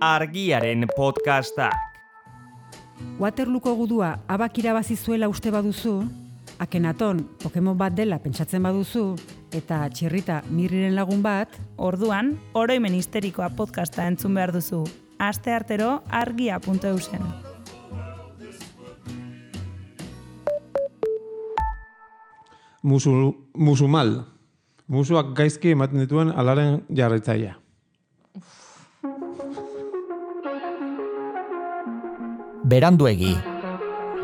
Argiaren podcastak. Waterlooko gudua abak irabazi zuela uste baduzu, Akenaton Pokemon bat dela pentsatzen baduzu, eta Txirrita Mirriren lagun bat, orduan, oroimen histerikoa podcasta entzun behar duzu. Asteartero argia.eusen. Musumal. Musuak gaizki ematen dituen alaren jarraitzailea. Beranduegi.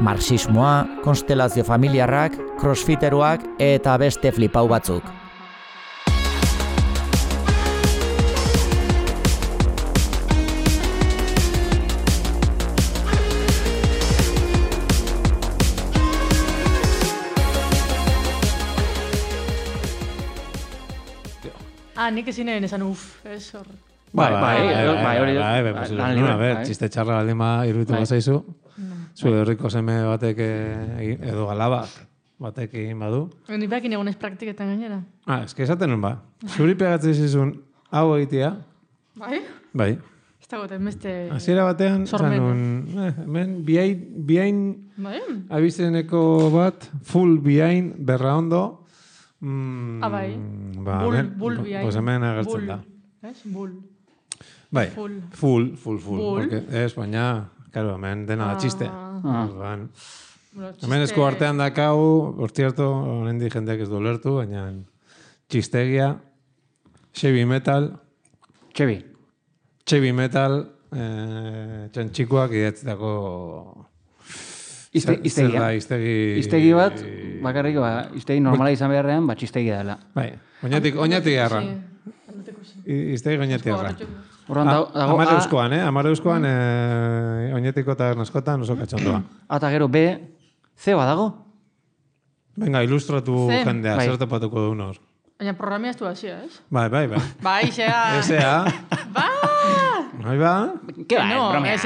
Marxismoa, konstelazio familiarrak, crossfiteroak eta beste flipau batzuk. Nik ezin egin esan ez hor. Txiste txarra baldima iruditu bazaizu. Zure herriko seme batek edo galabak batek egin badu. Ni behakin egon ez praktiketan gainera. Eske esaten nun ba. Zuri pegatzen zizun hau egitea. Bai? Bai. Ez dagoetan beste... Hasiera batean, hemen bihain abizeneko bat, full bihain, berra ondo. Bai. Bull bihain. Pues hemen agertzen da. Bull. Bai, full. Porque ez, baina, claro, hemen dena da txiste. Hemen esku artean dakau, por cierto, honendi jendeak ez du lertu, baina txistegia, heavy metal, txantxikoak idatzitako... Iztegi bat, bakarrik, iztegi normala izan beharrean, txistegi dela. Bai, oinatik garra. Iztegi oinatik garra. Amareuzkoan, oinetiko tabernaskotan oso katxondoa. Eta gero, C badago? Venga, ilustratu jendea, zer topatuko du nor. Baina programia ez du hasia, ez? Bai. Bai, zea. Bai ba? Ke ba, bromea. Ez.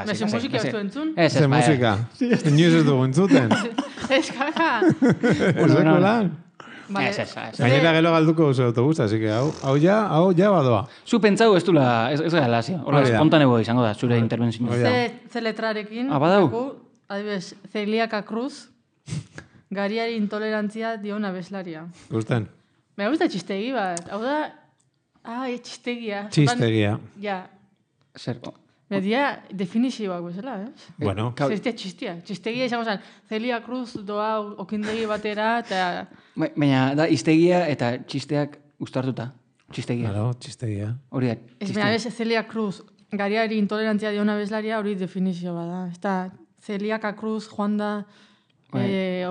Mezi musika ez du entzun? Ze musika? Inoiz ez dugu entzuten? Ez kaka. Ezeko lan? Gainera gelo galduko duzu autobusa, así que hau ja badoa. Zu pentsau ez dula, ez gara lazio. Hola, espontaneo izango da, zure intervenzio. Ze letrarekin, adibes, Celiaka Cruz, gariari intolerantzia diona bezlaria. Gusten? Me gusta txistegi bat. Hau da, txistegia. Txistegia. Ja. Zer? Media definizioak bezala, ez? Bueno. Zestia txistia. Txistegia izango zen, Celia Cruz doa okindegi batera, eta... Baina, da, iztegia eta txisteak ustartuta. Txistegia. Claro, txistegia. Hori da, txistegia. Ez, Celia Cruz, gariari intolerantzia diona bezlaria, hori definizio bada. Ez da, Celiaka Cruz joan da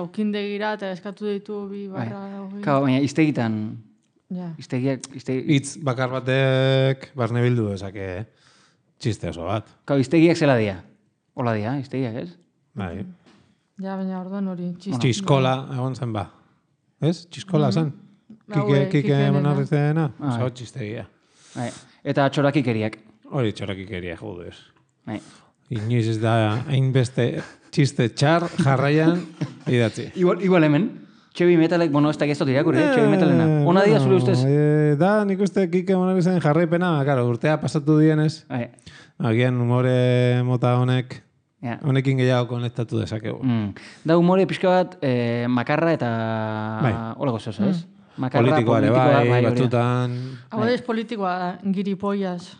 okindegira eta eskatu ditu bi barra... Baina, iztegitan... Itz bakar batek barne bildu ezake txiste oso bat. Iztegiak zela dia. Hola dia, iztegiak, ez? Bai. Ja, baina orduan hori txiskola egon zen ba. Ez? Txiskola zen? Kike monarri zena? Oso txistegia. Eta txorakikeriak. Hori txorakikeria, joder. Inoiz ez da hainbeste txiste txar jarraian idatzi. Igual hemen. Txebi metalek, ez da geztot irakurri, txebi metalena. Ona dia, zure ustez? Da, nik uste Kike monarri zen jarraipena, urtea pasatu dienez. Agian humore mota honekin gehiago konektatu dezakegu. Da humore pixka bat makarra eta holako zozo, ez? Politikoa ere bai, batzutan... Hau ez politikoa da, giripoiaz.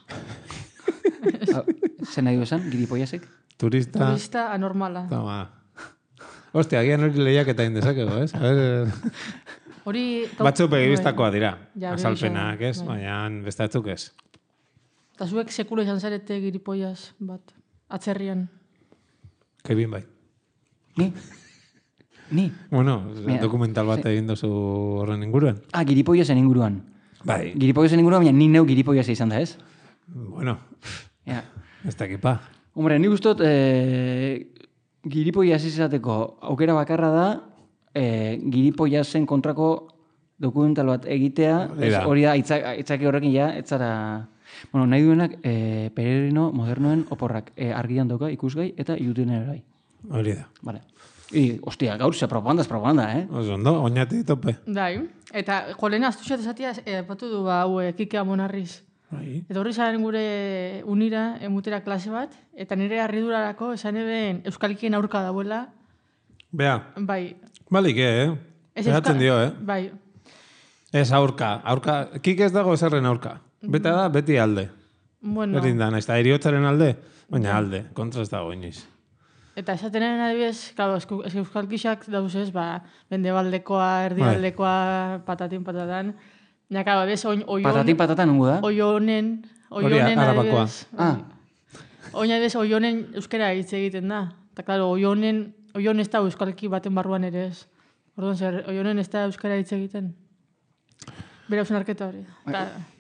Zer nahi du esan, giripoiazek? Turista anormala. Toma. Hostia, agian hori lehiak eta indezakego, ez? Batzuk begibistakoa dira. Azalpenak, ez? Baina bestatzuk ez. Eta zuek sekulo izan zarete giripoiaz bat, atzerrian. Kebin bai. Ni? Bueno, dokumental bat egin dozu horren inguruan. Giripoiazen inguruan. Bai. Giripoiazen inguruan, baina ni neu giripoiaz izan da, ez? Bueno, ez dakipa. Hombre, ni gustot... Giripoiaz izateko aukera bakarra da, giripoiazen kontrako dokumental bat egitea, hori da, aitzaki horrekin ja, etzara... Bueno, nahi duenak, Peregrino modernoen oporrak argian dauka ikusgai eta YouTubeen ere bai. Hori da. Vale. Ostia, gaur ze propaganda, eh? Oso ondo, oinati tope. Dai, eta jolena astuxat esatia, patu du Kike Amonarriz. Eta horri zaren gure unira, emutera klase bat, eta nire harridurarako esan eben euskalkien aurka dauela. Bea. Bai. Balik, Behatzen dio, Bai. Ez aurka. Kik ez dago ezerren aurka. Beta da, beti alde. Bueno. Berdin da, ez da, eriotzaren alde, baina alde, kontra ez dago inoiz. Eta esatenen adibidez, claro, euskalkixak dauzez, bendebaldekoa, erdialdekoa, patatan. Ja, claro, bez, Patatin-patatan nungu da? Oionen adibidez. Oina oionen euskera hitz egiten da. Eta, claro, oion ez da euskalki baten barruan ere ez. Orduan, oionen ez da euskera hitz egiten. Bera usunarketa hori.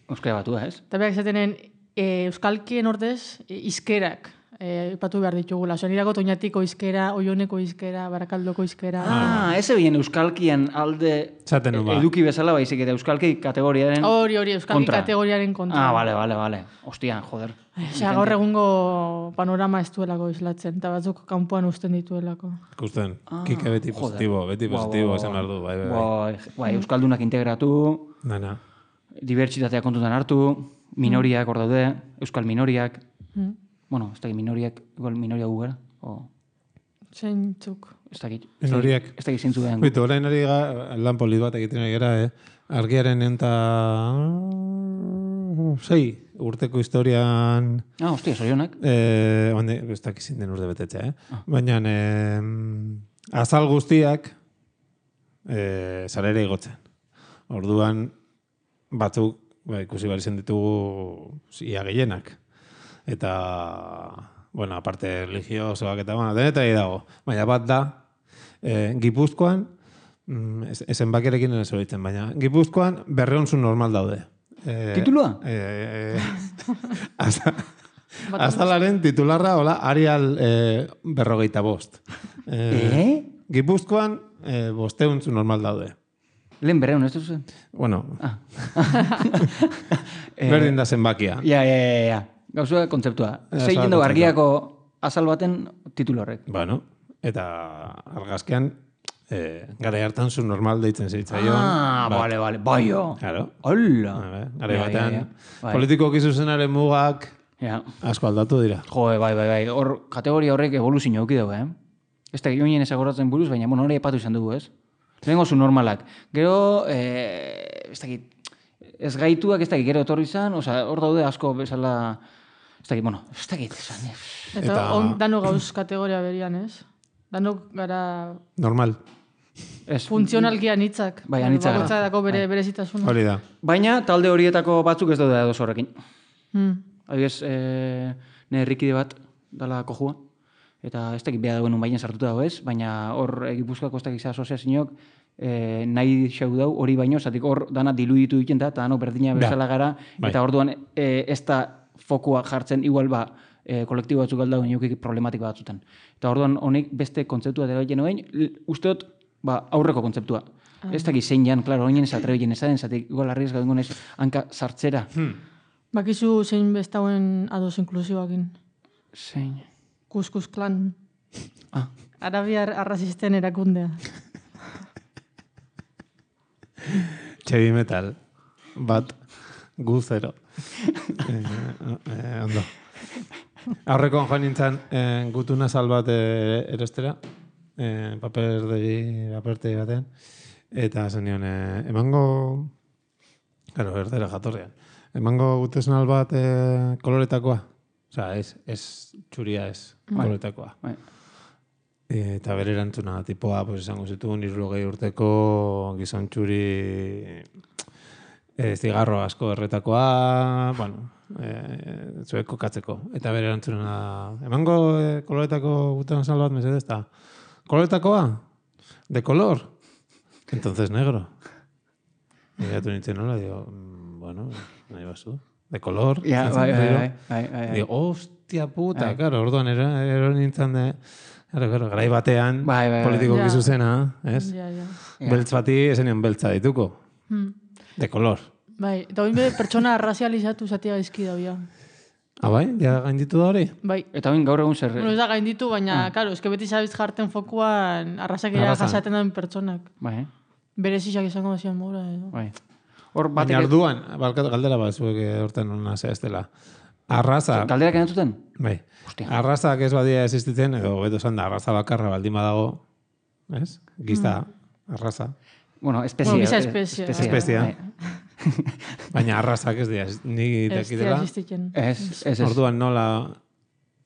Euskara batua, ez? Eta berak esatenen, euskalkien ordez, izkerak. Ipatu behar ditugula. Oso nirako toñatiko izkera, oioneko izkera, barakaldoko izkera. Ez ebien euskalkien alde eduki bezala baizik eta euskalki kategoriaren Hori, euskalki kategoriaren kontra. Bale. Ostia, joder. Gaur egungo panorama ez duelako islatzen, eta batzuk kanpoan usten dituelako. Ikusten, kike beti positibo, esan behar du. Bai, euskaldunak integratu, dibertsitatea kontutan hartu, minoriak hor daude, euskal minoriak. Bueno, ez dakit minoriak, igual minoria gugara? Zeintzuk. Ez dakit. Minoriak. Ez dakit zeintzu den. Bitu, orain ari lan polit bat egiten ari gara, Argiaren enta 6 urteko historian... Hostia, zorionak. Ez dakit zin den urte betetzea, Baina azal guztiak zarere igotzen. Orduan, batzuk, ikusi behar izan ditugu ia gehienak. Eta, bueno, aparte religiosoak eta, denetari dago. Baina bat da, Gipuzkoan, ezen bakerekin ez horitzen, baina Gipuzkoan 200 normal daude. Titulua? Azalaren titularra, hola, Arial 45. Gipuzkoan 500 normal daude. Lehen 200, ez duzen? Bueno. Berdin da zenbakia. Ja. Gauzua kontzeptua. Zeiten dugu argiako azal baten titulu horrek. Bueno, eta argazkean gara hartan zu normal deitzen zitzaion. Bale. Baio. Claro. Hola. Gara batean, politiko kizuzenaren mugak asko aldatu dira. Bai. Hor, kategoria horrek evoluzio auki dugu, Ez da, joinen ezagoratzen buruz, baina, hori epatu izan dugu, ez? Lehenko zu normalak. Gero, ez dakit, ez gaituak, ez dakit, gero etorri izan, hor daude asko bezala... Ez dakit esan. Eta dano gauz kategoria berian, ez? Dano gara... Normal. Funtzionalki anitzak. Bai, anitzak gara. Bakoitza dako berezitasuna. Hori da. Baina, talde horietako batzuk ez daude ados horrekin. Adibidez, nire herrikide bat dala kojua. Eta ez dakit beha dagoen unbainen sartuta dago ez, baina hor Gipuzkoako ez dakit asoziazioak nahi xau dau hori baino, zatik hor dana diluditu egiten da, eta dano berdina bezala gara, eta orduan ez da fokua jartzen igual kolektibo batzuk alda inoekik problematika batzutan. Eta orduan honek beste kontzeptua dela egin usteot aurreko kontzeptua. Ez dakit zein jan, klaro, oinen ez atrebien ezaden, zatik igual arriesga dengonez hanka sartzera. Bakizu zein bestauen ados inklusiboakin? Zein? Kuskus klan. Arabiar arrazisten erakundea. Heavy metal. Bat guzero. Ondo. Aurrekoan joan nintzen gutuna salbat erostera. Paperte batean. Eta zen nion, emango... Claro, erdera jatorrean. Emango gutesnal bat koloretakoa. Osa, ez txuria ez koloretakoa. Eta bere erantzuna, tipoa, pues esango zituen, 60 urteko gizon txuri zigarro asko erretakoa, bueno, zuek kokatzeko. Eta bere erantzuna, emango koloretako gutesnal bat mesedez, eta koloretakoa? De color? Entonces negro. Y ya tú nintzen nola, digo, bueno, nahi bazu. De color. Bai. Digo, hostia puta, claro, orduan ero nintzen de... Claro, garai batean, politiko gizuzena, ez? Beltz bati, esenean beltza dituko. De color. Bai, eta oin pertsona razializatu zatia gaizki da, bai? Ja gainditu da hori? Bai. Eta oin gaur egun zer... Bueno, ez da gainditu, baina, karo, eske beti zabiz jarten fokuan arrazakera jasaten den pertsonak. Bai. Berezizak izango da zian mora, edo. Bai. Baina orduan, galdera bat zuek horten hona zehaztela. Arraza... Galdera kenetuten? Bai. Arrazak ez badia existitzen, edo beto esan da, arraza bakarra baldin badago, ez? Gizta, arraza. Bueno, espezie. Espezia. Baina arrazak ez dira, ni dekidela. Ez. Orduan nola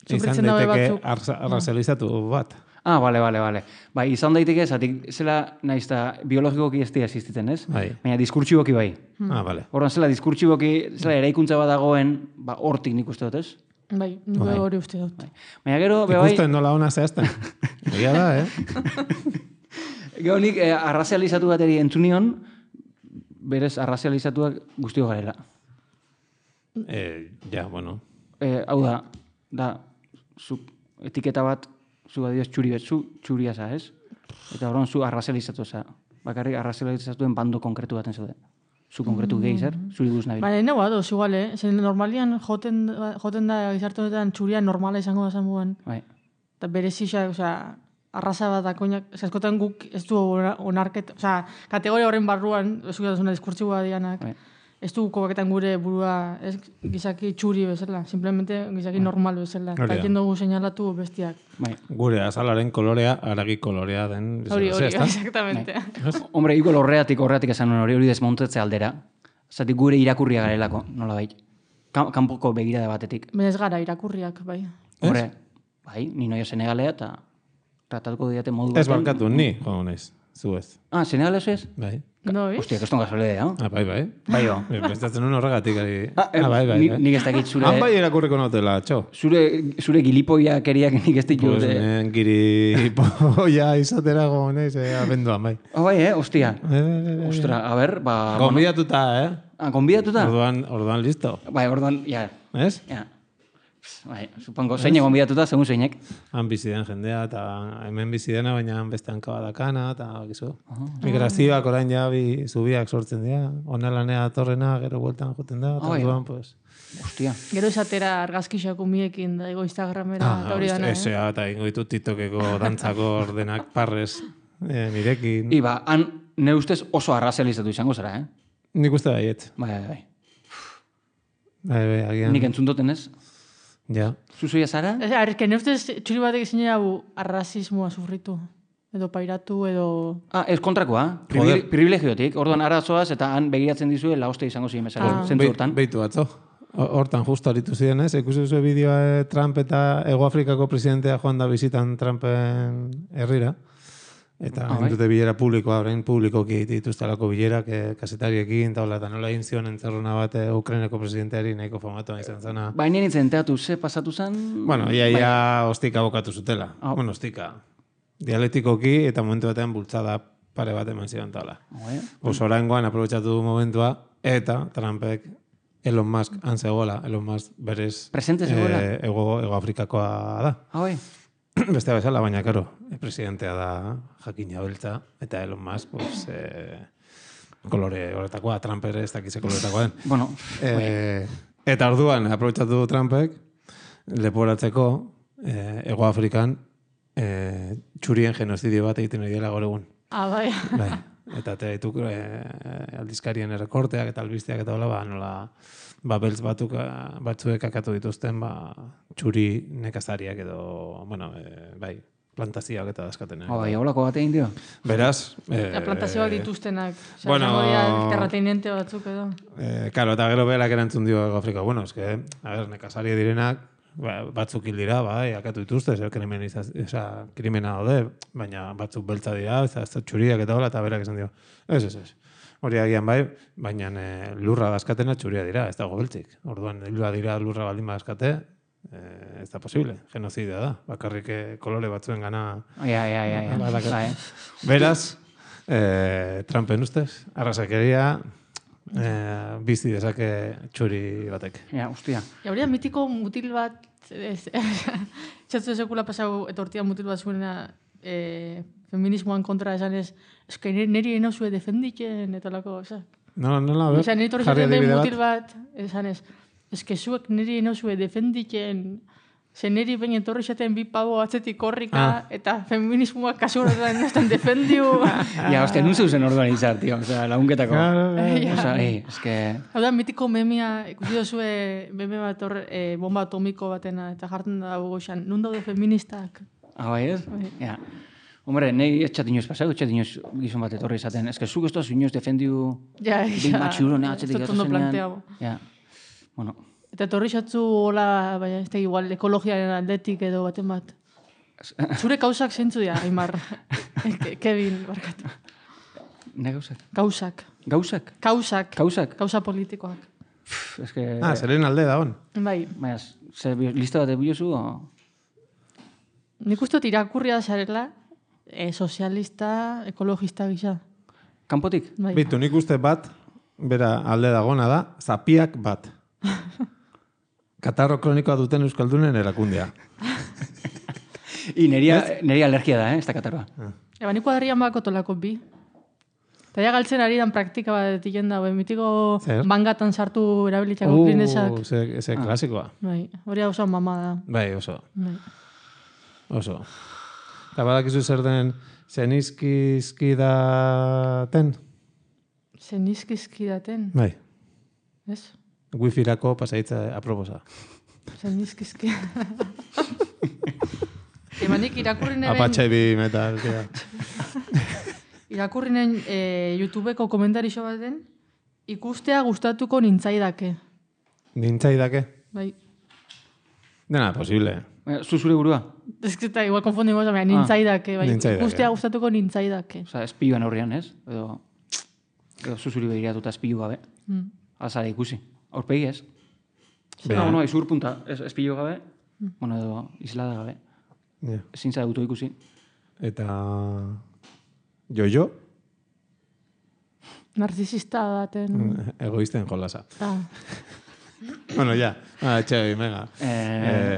izan daiteke arrazalizatu bat. Ah, bale. Bai, izan daiteke, zatik zela nahiz da biologikoki ez dira existitzen, ez? Bai. Baina diskurtsiboki bai. Ah, bale. Orduan zela diskurtsiboki, zela eraikuntza bat dagoen, hortik nik uste dut, ez? Bai, nire hori uste dut. Baina gero, bai... Ikusten nola ona zehazten. Egia da, Gero nik arrazializatu bateri entzunion, berez arrazializatuak guztio garela. Ja, bueno. Hau da, etiketa bat, zu adioz txuria za, ez? Eta horren zu arrazializatu za. Bakarrik arrazializatuen bando konkretu baten zaude. Zu konkretu gehi zer, zuri guz nabil. Baina, nago adoz, igual, Zer normalian joten da gizarte honetan txuria normala izango da zangoen. Bai. Eta berezixak, arraza bat da koinak, askotan guk ez du onarket, kategoria horren barruan, ez du gazuna diskurtsiboa dianak, ez du kobaketan gure burua ez gizaki txuri bezala, simplemente gizaki normal bezala. Eta dugu seinalatu bestiak. Gure azalaren kolorea, aragi kolorea den. Hori, exactamente. Hombre, igual horreatik esan hori desmontetze aldera. Zatik gure irakurria garelako, nola bai. Kanpoko begirada batetik. Baina ez gara irakurriak, bai. Horre, bai, ni noio senegalea eta tratatuko diate modu baten. Ez barkatu, ni, joan naiz, zu ez. Ah, senegalez ez? Bai. No, hostia, keston gasolea, no? Bai. Bai, jo. Bestatzen un horregatik. Bai. Nik ez dakit zure... Han bai erakurriko notela, txo. Zure gilipoia keriak nik ez ditu. Pues gilipoia izatera gonez, abenduan, bai. Bai, hostia. Ostra, a ber, ba... Gonbidatuta, Gonbidatuta? Orduan listo. Bai, orduan, ja. Ez? Ja. Bai, supongo, zeinek gonbidatuta, segun zeinek. Han biziden jendea, eta hemen bizidena, baina beste hankabadakana, eta gizu. Migrazioak orain ja zubiak sortzen dira. Onalanea atorrena, gero bueltan joten da, eta orduan, pues... Hostia. Gero esatera argazkixako miekin, da, Instagramera, eta hori dana. Esea, eta ingo ditut TikTokeko dantzako ordenak parrez nirekin. Iba, han, ne ustez oso arrazializatu izango zara, Nik uste baiet. Bai. Agian. Nik entzun duten ez? Ja. Zuzuia zara? Erke, ne ustez txuri batek izan hau arrazismoa sufritu. Edo pairatu, edo... Ez kontrakoa. Privilegiotik. Orduan arazoaz eta han begiratzen dizue laoste izango ziren bezala. Zentzu hortan. Beitu batzo. Hortan justo aritu ziren, ez? Ikusi zuen bideoa Trump eta Ego Afrikako presidentea joan da bizitan Trumpen herrira. Eta dute bilera publikoa, orain publikoki dituztelako bilerak kasetariekin, eta nola egin zion entzarruna bat Ukraineko presidenteari nahiko famatuan izan zena. Baina nintzen teatu, ze pasatu zen? Bueno, ia ostika bokatu zutela. Bueno, ostika. Dialektikoki eta momentu batean bultzada pare bat eman ziren tala. Oraingoan aprobetxatu du momentua, eta Trumpek Elon Musk antzegoela, Elon Musk berez Ego Afrikakoa da. Bai. Bestea bezala, baina, karo, presidentea da jakina beltza, eta Elon Musk, pues, kolore horretakoa, Trump ere ez dakize koloretakoa den. Bueno, eta orduan, aprobetxatu Trumpek, leporatzeko, Ego Afrikan, txurien genozidio bat egiten ari dela gaur egun. Bai. Eta dituk aldizkarien errekorteak eta albisteak eta hola, nola... beltz batzuek akatu dituzten, txuri nekazariak edo, plantazioak eta dazkaten. Bai, holako bat egin dio. Beraz... plantazioak dituztenak. Terrateinente batzuk edo. Karo, eta gero behelak erantzun dio Ego Afrika. Bueno, nekazaria direnak, batzuk hil dira, akatu dituzte, krimena daude, baina batzuk beltza dira, ez txuriak eta hola, eta berak esan dio. Ez. Hori agian baina lurra dazkatena txuria dira, ez dago beltzik. Orduan, lurra baldin dazkate, ez da posible, genozidea da. Bakarrik kolore batzuen gana... Beraz, Trumpen ustez, arrasakeria, bizi dezake txuri batek. Hostia. Hauria mitiko mutil bat, txatzu sekula pasau etortia mutil bat zuena, feminismoan kontra esanez, eske niri enozue defenditzen, eta lako, esak. Nola, ber, jarri adibide bat. Mutil bat, esanez, eske zuek niri enozue defenditzen, Zeneri bain etorri xaten bi pabo atzetik korrika, eta feminismoak kasu horretan nestan defendiu. Ja, hostia, nun zeusen organizar, tío. O sea, lagunketako. O sea, eske... Hau da, mitiko memia, ikusi dozue meme bat bomba atomiko batena, eta jartzen da goxan, nun daude feministak? Bai, ez? Ja. Hombre, nahi etxat inoz pasau, etxat inoz gizon bat etorri izaten. Ez que zuk ez toz inoz defendiu... Ja, Bin matxuro, ne, atxetik planteago. Ja, bueno. Eta etorri xatzu, hola, baina ez da igual, ekologiaren aldetik edo baten bat. Zure kausak zentzu dira, Aimar. Kevin, barkatu. Ne gauzak? Gauzak. Gauzak? Kausak. Kausak? Kausa politikoak. Ez que... zeren alde da hon. Bai. Baina, ze lista bat ebilozu, o... Nik uste irakurria zarela, sozialista, ekologista gisa. Kanpotik? Bai. Bitu, nik uste bat, bera alde dagona da, zapiak bat. Katarro kronikoa duten euskaldunen erakundea. Neria alergia da, ez da katarroa. Eba, nik kuadrian bako tolako bi. Eta ja galtzen ari dan praktika bat diken da, mitiko bangatan sartu erabilitxako klinesak. Ze klasikoa. Bai, hori oso mama da. Bai, oso. Bai. Oso. Eta badakizu zer den zenizkizkidaten? Zenizkizkidaten? Bai. Ez? Wi-Fi-rako pasaitza aproposa. Zenizkizki. Emanik irakurrinen... Apatxe bi metal, tia. Irakurrinen YouTubeko komentarixo baten, ikustea gustatuko nintzaidake. Nintzaidake? Bai. Dena, posible. Zuzure burua? Ez que eta igual konfundimos, nintzaidake. Bai. Ikustea gustatuko nintzaidake. Osa, espioan aurrean, ez? Edo zuzuri begiratuta espio gabe. Azara ikusi. Aurpegi ez? No, izur punta. Espio gabe, bueno, edo islada gabe. Ezin zara dutu ikusi. Eta... Jo? Narzisista daten... Egoisten jolasa. Bueno, ya. Txebi, mega.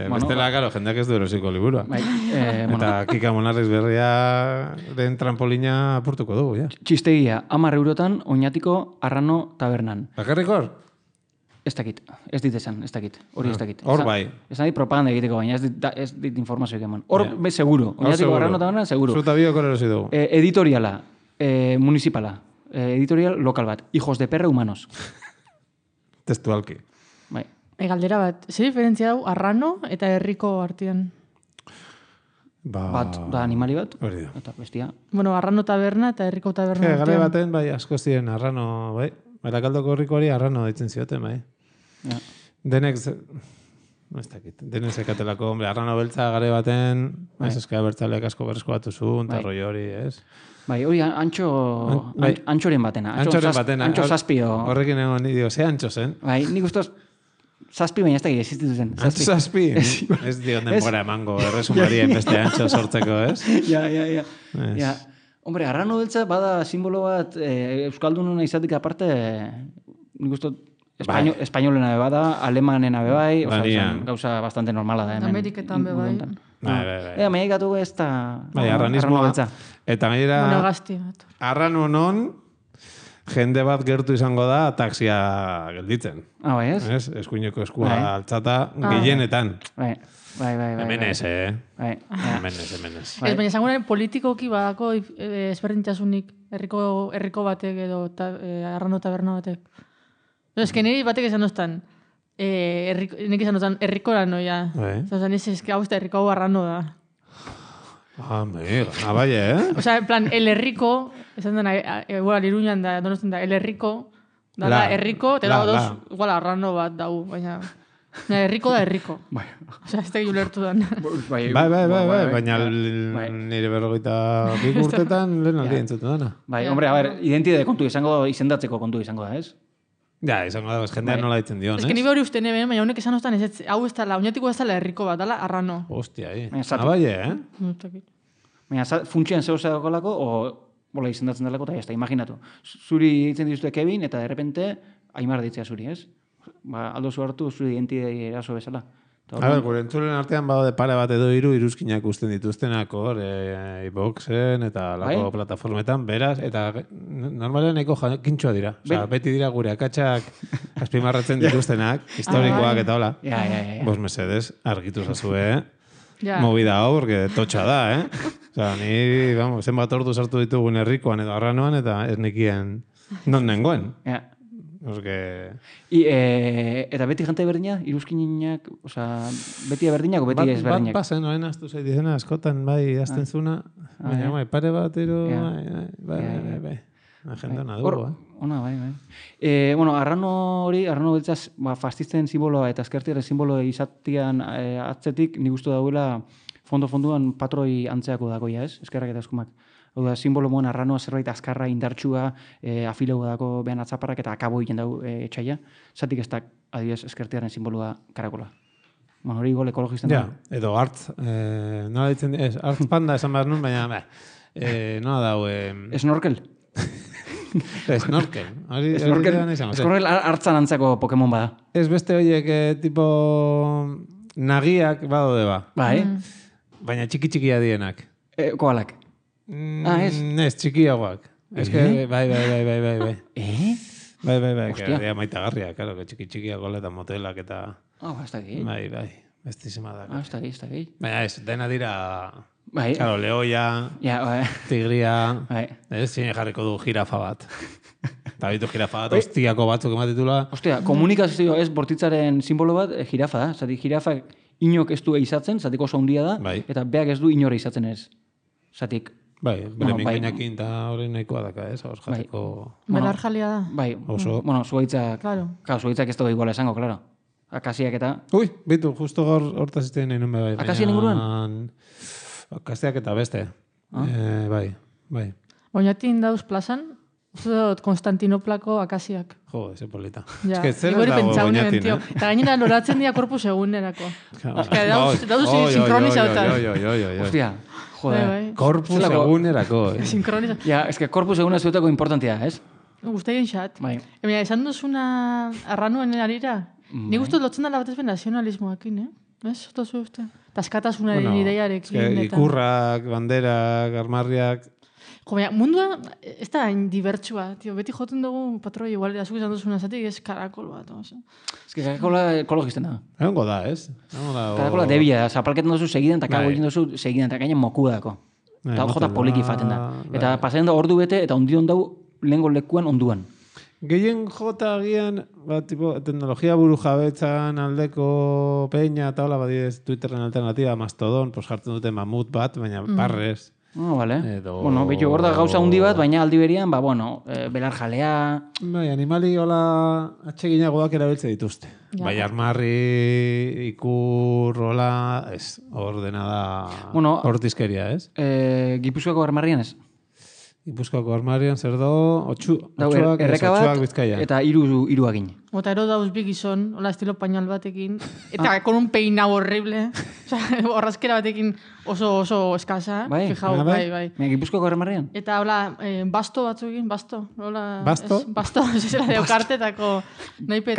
Bestela, karo, jendeak ez du erosiko liburua. Eta Kika Monarriz berriaren trampolina apurtuko dugu, ja. Txistegia, 10 eurotan oinatiko Arrano tabernan. Bakarrik hor? Ez dakit, ez dit esan, ez dakit, hori ez dakit. Hor bai. Ez nahi propaganda egiteko baina, ez dit informazioik eman. Hor, seguro, oinatiko Arrano tabernan, seguro. Zuta biok hor erosi dugu. Editoriala, municipala, editorial lokal bat, hijos de perra humanos. Testualki. Bai. Galdera bat, ze diferentzia dau Arrano eta herriko artean? Bat da animali bat, hori da. Eta bestia. Bueno, Arrano taberna eta herriko taberna artean. Gale baten, bai, asko ziren Arrano, bai. Barakaldoko herrikoari Arrano ditzen zioten, bai. Ja. Denek, ez dakit, denek zekatelako, hombre, Arrano beltza gare baten, ez eskara bertzaleak asko berrezko batu zuen, eta roi hori, ez? Bai, hori antxoren batena. Antxoren batena. Antxo zazpio. Horrekin egon nidio, ze antxo zen? Bai, nik ustoz zazpi baina ez da gire, existitu zen. Antxo zazpi? Ez dion denbora emango, erresumarien beste antxo sortzeko, ez? Ja. Hombre, Arrano beltza bada simbolo bat euskaldununa izatik aparte, nik uste espainolena bada, alemanena bebai, gauza bastante normala da. Ameriketan bebai. Meiak gatu ez da... Bai, arranismoa. Eta gaira... Monogasti bat. Arrano non, jende bat gertu izango da taxia gelditzen. Bai, ez? Eskuineko eskua altzata gehienetan. Bai. Hemen ez, Hemen ez. Ez, baina esanguren politikoki badako ezberdintasunik herriko batek edo Arrano taberna batek. Ez que niri batek esan doztan, nik esan doztan herrikora noia. Zazan ez que hau ez da herriko hau Arrano da. Bai, Osa, en plan, el herriko, esan dena, igual, Iruñan da, donosten da, el herriko, da herriko, te dago dos, igual, Arrano bat dau, baina... Herriko da herriko. Osa, ez da ulertu dan. Bai, baina nire 42 urtetan lehen aldi entzuten dana. Bai, hombre, a ver, identitate kontu izendatzeko kontu izango da, ez? Ja, izango da, jendean nola ditzen dion, ez? Ez que nire hori uste neben, baina honek esan ostan ez, hau ez dala, oinatiko ez dala herriko bat, dala Arrano. Hostia, Baina, funtsian zeu zegoelako, o bola izendatzen dalako, eta ez imaginatu. Zuri ditzen dituzte Kevin, eta de repente, Aimar ditzea zuri, ez? Aldo zu hartu zure identidei eraso bezala. Gure entzulen artean badaude pare bat edo iruzkinak usten dituztenak hor, iBoxen eta lako plataformetan, beraz, eta normalean nahiko jakintxoa dira. Osa, beti dira gure akatsak azpimarratzen dituztenak, historikoak eta hola. Ja. Bos mesedes, argitu zazue, movida hau, porque totxa da, Osa, ni, vamos, zenbat ordu sartu ditugun herrikoan edo arranoan, eta ez nekien non nengoen. Ja. Porque... Eta beti jante berdina, iruzkinak, oza, beti berdinak o beti ez berdinak? Bat pasen, oen astu zei dizena, askotan bai azten zuna, baina pare bat, bai. Agenda nadugu, Ona, bai. Bueno, arrano beltzaz, fastisten simboloa eta eskertiaren simboloa izatian atzetik, nik uste dauela fondo-fonduan patroi antzeako dagoia, ez? Eskerrak eta eskumak. Hau da, simbolo moan arranoa zerbait azkarra, indartsua, afileu dako behan atzaparrak eta akabo egiten dau etxaia. Zatik ez da, adibidez, eskertiaren simboloa karakola. Bueno, hori igual ekologisten da. Ja, edo hartz, nola ditzen, hartz panda esan behar nun, baina, nola dau... Snorkel? Snorkel. Snorkel hartzan antzako Pokemon bada. Ez beste horiek, tipo, nagiak badode ba. Bai. Baina txiki-txikia dienak. Koalak. Ez? Ez, txikiagoak. Ez que, bai. Bai, Hostia. que maitagarria, claro, que txiki-txikiak eta motelak eta... Ez da gehi. Bai, bestísima da. Ez da gehi. Baina ez, dena dira... Bai. Claro, leoia, tigria, zine jarriko du jirafa bat. Eta bitu jirafa bat, ostiako batzuk ematitula. Ostia, komunikazio ez bortitzaren simbolo bat, jirafa da. Zati, jirafa inok ez du eizatzen, zatiko oso handia da, eta beak ez du inore eizatzen ez. Zatik... Bai, bere mingainakin eta hori nahikoa daka, ez? Hor jateko... Belar jalia da. Bai, bueno, zuaitzak... Claro, zuaitzak ez dugu iguala esango, claro. Akasiak eta... Ui, bitu, justo hortaz iztean nahi nun bai. Akasiak inguruan? Akasiak eta beste. Bai. Oinatin dauz plazan, Konstantinoplako akasiak. Jo, eze polita. Ja, Igori pentsau nien, tio. Eta gainera loratzen dira korpus egunerako. Dauz sinkronizautan. Hostia, joder. Korpus egunerako. Sinkronizautan. Ja, ez que korpus eguna zuetako importantia, ez? Guzteien xat. Bai. Emina, esan duzuna arranuen arira, ni guztu lotzen dala batez ben nazionalismoakin, Ez? Zoto zu uste? Taskatasunaren ideiarekin. Ikurrak, banderak, armarriak... Jo, baina, mundua ez da dibertsua, tio. Beti joten dugu patroi igual, azuk izan duzuna zatik, ez karakol bat. Ez que karakola ekologisten da. Egongo da, ez? Karakola debia, zapalketan duzu segiden, eta kago egin duzu segiden, eta gainen moku dako. Eta jota poliki faten da. Eta pasatzen da ordu bete, eta ondion dau lehengo lekuan onduan. Gehien jota agian, tipo, teknologia buru jabetzan aldeko peña eta hola, badiez Twitterren alternatiba, Mastodon, pues jartzen dute mamut bat, baina barrez. Vale. Bueno, betu hor da gauza hundi bat, baina aldi berian, belar jalea... Bai, animali hola atseginagoak erabiltze dituzte. Bai, armarri, ikur, hola, ez, ordena da hortizkeria, ez? Gipuzkoako armarrian ez? Gipuzkoako armarian zer do, otxuak Bizkaia. Eta hiru agin. Eta ero dauz bi gizon, hola estilo pañal batekin, eta con un peinau horrible, horrazkera batekin oso eskasa, fijau, bai. Gipuzkoako armarian? Eta hola, basto batzuekin, basto. Basto? Basto, zera deo, kartetako.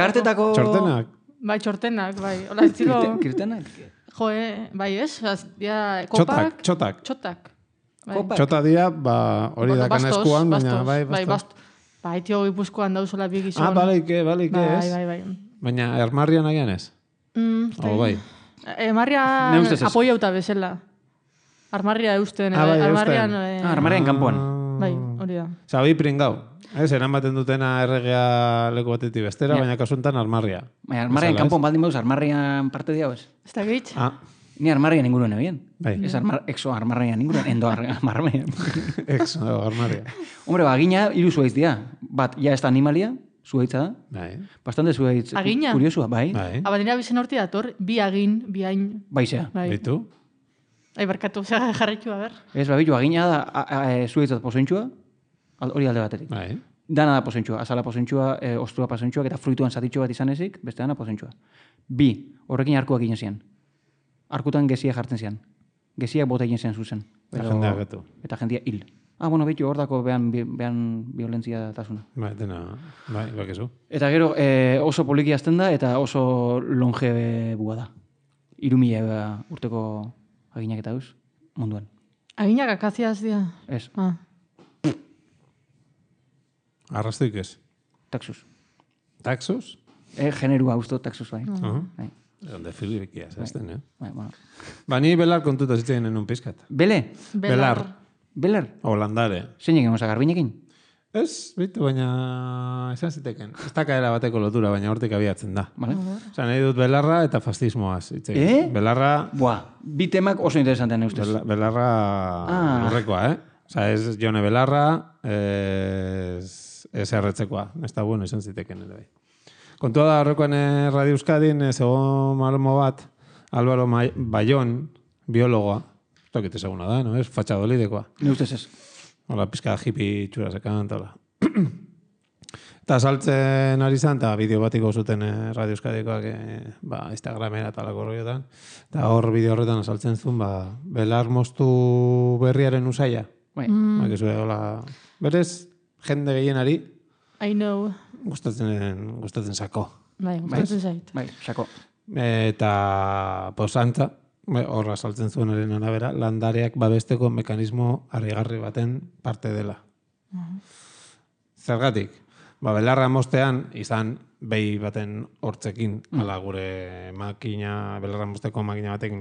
Kartetako... Txortenak? Bai, txortenak, bai. Hola estilo... Kirtenak? Jo, bai, ez? Kopak... Txotak. Txota dia, hori dakan eskuan, baina bai, basto. Bai, tio, Gipuzkoan dauzela bi gizon. Baleike, ez? Bai. Baina armarrian agian ez? Bai. Armarrian apoiauta bezala. Armarria eusten. Armarrian kanpoan. Bai, hori da. Zabi pringau. Ez, eramaten dutena erregea leku batetik bestera, baina kasuntan armarria. Baina armarrian kanpoan baldin bauz, armarrian parte diau ez? Ez da gehitz? Ni armarrian inguruen ebien. Bai. Ez exo armarrian inguruen, endo armarrian. Exo armarria. Hombre, agina hiru zuaitz dira. Bat, ja ez da animalia, zuaitza da. Bai. Bastante zuaitz. Agina? Kuriosua, bai. Abadina bizen horti dator, bi agin, bi hain. Baizea. Bitu? Barkatu, jarritu, a ber. Ez, babitu, agina da zuaitzat pozointxua, hori alde batetik. Bai. Dana da pozointxua, azala pozointxua, ostura pozointxua, eta fruituan zatitxo bat izan ezik, beste dana pozointxua. Bi, horrekin arkuak egin zian. Arkutan gezia jartzen zian. Geziak bota egin zian zuzen. Eta jendea gatu. Eta jendia hil. Bueno, behitu hor dako behan violentzia tasuna. Bai, dena, bai, bakezu. Eta gero oso poliki azten da, eta oso longe bua da. 3.000 urteko aginak eta eus, munduan. Aginak akaziaz dira? Ez. Arrastuik ez? Taxus. Taxus? Generua usto taxus bai. Onde filibikia, zazten, Bueno. Ba, ni belar kontuta zitzen un pizkat. Bele? Belar. O landare. Zein egin osa, garbinekin? Ez, bitu, baina esan ziteken. Ez da kaera bateko lotura, baina hortik abiatzen da. Vale. Osa, nahi dut belarra eta fascismoaz. Belarra... Bi temak oso interesantean ustez. Belarra lurrekoa, Osa, ez Jone Belarra, ez erretzekoa. Ez da bueno, esan ziteken ere bai. Kontua da horrekoan Radio Euskadin, zegoen malmo bat, Álvaro Bayón, biologoa, ez dakit ezaguna da, no? Ez Fatxadolidekoa. Ni ustez ez. Hola, pizka hippie txura zekan, eta hola. Eta saltzen ari zan, eta bideo batiko zuten Radio Euskadikoak Instagramera eta lako horretan. Eta hor bideo horretan saltzen zuen, belar moztu berriaren usaia. Berez, jende gehienari, I know. Gustatzen sako. Gustatzen zait. Sako. Eta posantza, horra saltzen zuen eren arabera, landareak babesteko mekanismo harrigarri baten parte dela. Zergatik, belarra mostean izan behi baten hortzekin, ala gure makina, belarra mosteko makina batek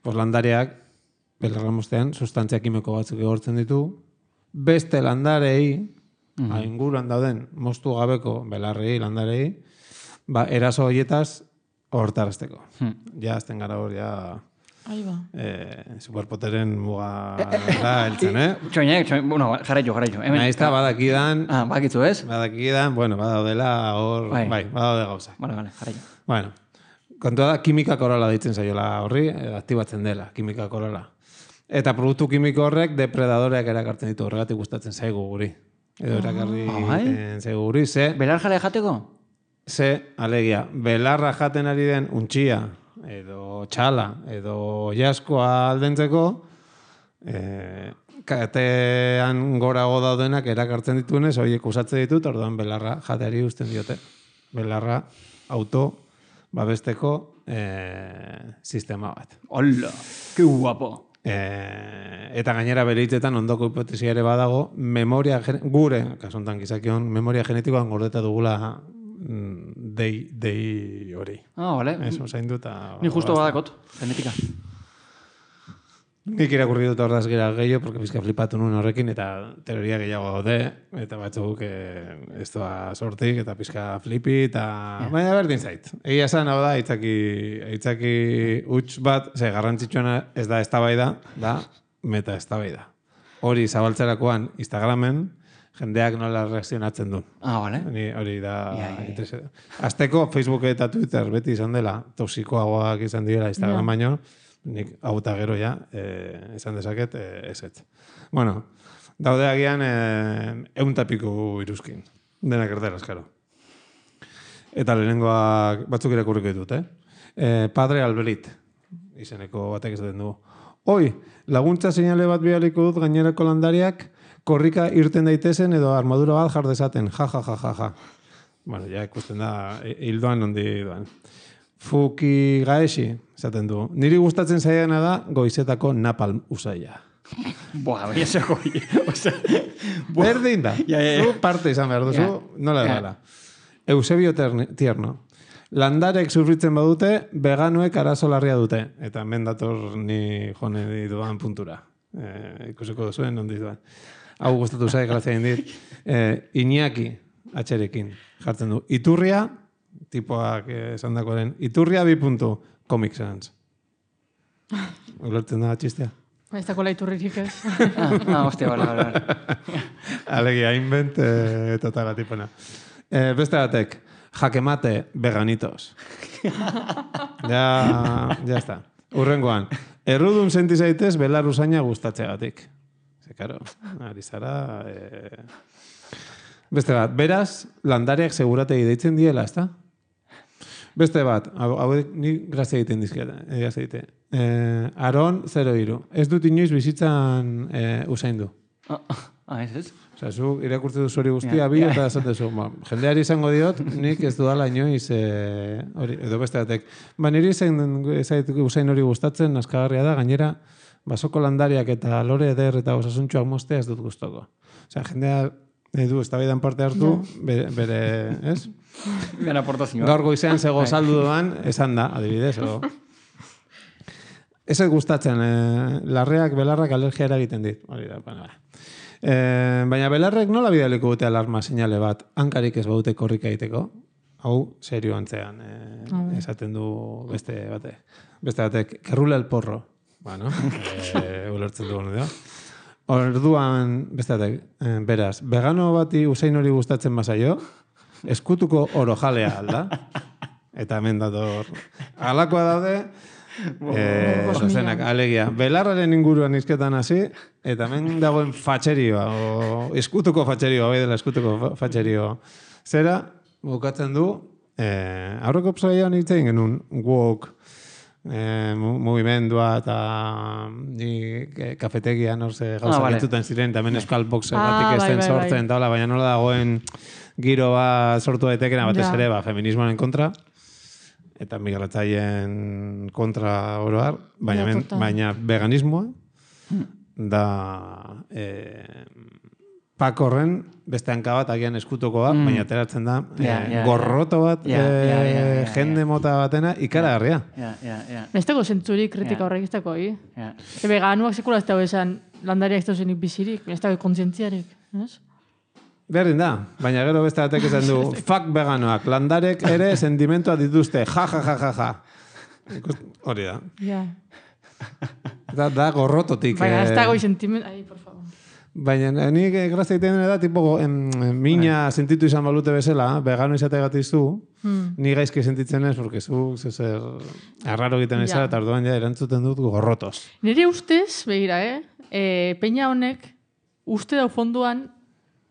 landareak belarra mostean sustantzia kimiko batzuk egortzen ditu, beste landarei, inguruan dauden moztu gabeko belarrei, landarei, eraso horietaz hortarazteko. Ja, azten gara hor, superpoteren muga heltzen, Bueno, jarraio. Naizta, badakidan... Bakitzu ez? Badakidan, badaudela hor... badaude gauza. Vale, jarraio. Bueno, kontua da, kimika korola deitzen zaiola horri, aktibatzen dela, kimika korola. Eta produktu kimiko horrek depredadoreak erakartzen ditu, horregatik gustatzen zaigu guri. Edo erakarri zaigu guri, Belar jale jateko? Alegia, belarra jaten ari den untxia, edo txala, edo jaskoa aldentzeko, katean gorago daudenak erakartzen dituenez, horiek usatzen ditut, orduan belarra jateari usten diote. Belarra auto babesteko sistema bat. Hola, que guapo! Eta gainera bere hitzetan ondoko hipotesia ere badago, gure, kasontan gizakion, memoria genetikoan gordeta dugula dei hori. Vale. Eso, zaindu eta... Ni justo badakot, genetika. Nik irakurri dut ordaz gira gehiago, porque bizka flipatu nuen horrekin, eta teoria gehiago gaude, eta batzuk ez doa sortik, eta bizka flipi, eta... Baina berdin zait. Egia esan, hau da, itzaki huts bat, garrantzitsuena ez da eztabaida, da meta eztabaida. Hori zabaltzerakoan Instagramen, jendeak nola reakzionatzen duen. Vale. Hori da... Azteko Facebook eta Twitter beti izan dela, toxikoagoak izan dira Instagram baino, nik hau eta gero esan dezaket ezetz. Bueno, daude agian 100 piku iruzkin. Denak erderaz, karo. Eta lehenengoak batzuk irakurriko ditut, Padre Albrit, izeneko batek esaten du. Hoi, laguntza seinale bat bialiko dut gainerako landariak korrika irten daitezen edo armadura bat jar dezaten. Ja. Bueno, ja ikusten da, hildoan nondi doan. Fuki gaesi, esaten du. Niri gustatzen zaiana da goizetako napalm usaia. Baina zeko. Berdin da. Zu parte izan behar duzu, nola dela. Eusebio Tierno. Landarek sufritzen badute, veganuek arazo larria dute. Eta hemen dator ni jone duan puntura. Ikusiko duzuen, nondi duan. Hau gustatu zai, grazia indit. Iñaki, atxerekin, jartzen du. Iturria, tipoak esan dakoaren, Iturria 2. Comic Sans. Ulertzen da txistea? Ez dakoela iturririk ez. Hostia, bala. Alegia, invent totala tipona. Beste batek, jakemate veganitos. Ya está. Urrengoan, errudun senti zaitez belar usaina gustatzeagatik. Karo, ari zara... Beste bat, beraz, landareak segurategi deitzen diela, ezta? Beste bat, hau ni grazia egiten dizkete. Aron 03. Ez dut inoiz bizitzan usaindu. Ez? Osa, zu irakurtze duzu hori guztia, bi eta esatezu. Jendeari izango diot, nik ez dudala inoiz, edo beste batek. Niri usain hori gustatzen, naskagarria da, gainera, basoko landariak eta lore eder eta osasuntxoak mostea ez dut gustoko. Osea, jendea du, eztabaidan parte hartu, bere, ez? Bera aportazioa. Gaur goizean zego saldu doan, esan da, adibidez, Ez gustatzen, larreak, belarrak alergia eragiten dit. Baina belarrek nola bidaliko dute alarma seinale bat, hankarik ez baute korrika egiteko? Hau, serio antzean, esaten du beste batek, kerrula el porro. Bueno, ulertzen du gonu. Orduan, beste batek, beraz, vegano bati usain hori gustatzen bazaio, eskutuko oro jalea alda. Eta hemen dator, alakoa daude, zozenak, alegia. Belarraren inguruan izketan hasi, eta hemen dagoen fatxerioa, eskutuko fatxerioa, bai dela eskutuko fatxerioa. Zera, bukatzen du, aurreko psaioan hitzein genuen wok, mugimendua eta kafetegian orze gauzak entzuten ziren, eta hemen euskal boxegatik ez den sortzen, baina nola dagoen giro bat sortu daitekena batez ere, feminismoaren kontra, eta migratzaileen kontra oroar, baina veganismoa da pakorren beste hanka bat agian eskutuko bat, baina ateratzen da gorroto bat jende mota batena ikaragarria. Ez dago zentzurik kritika horrek ez dago, veganuak sekula ez dago esan landariak ez dago zenik bizirik, ez dago kontzientziarik, ez? Berdin da, baina gero beste batek esan du, fuck veganoak, landarek ere sentimentua dituzte, ja. Hori da. Da gorrototik. Baina ez dago sentimentu, por favor. Baina nik grazia egiten da, tipo, mina sentitu izan balute bezala, vegano izategatik zu, ni gaizki sentitzen ez, porque zu zer arraro egiten ezara, eta orduan erantzuten dut gorrotos. Nire ustez, begira, peña honek, uste dau fonduan,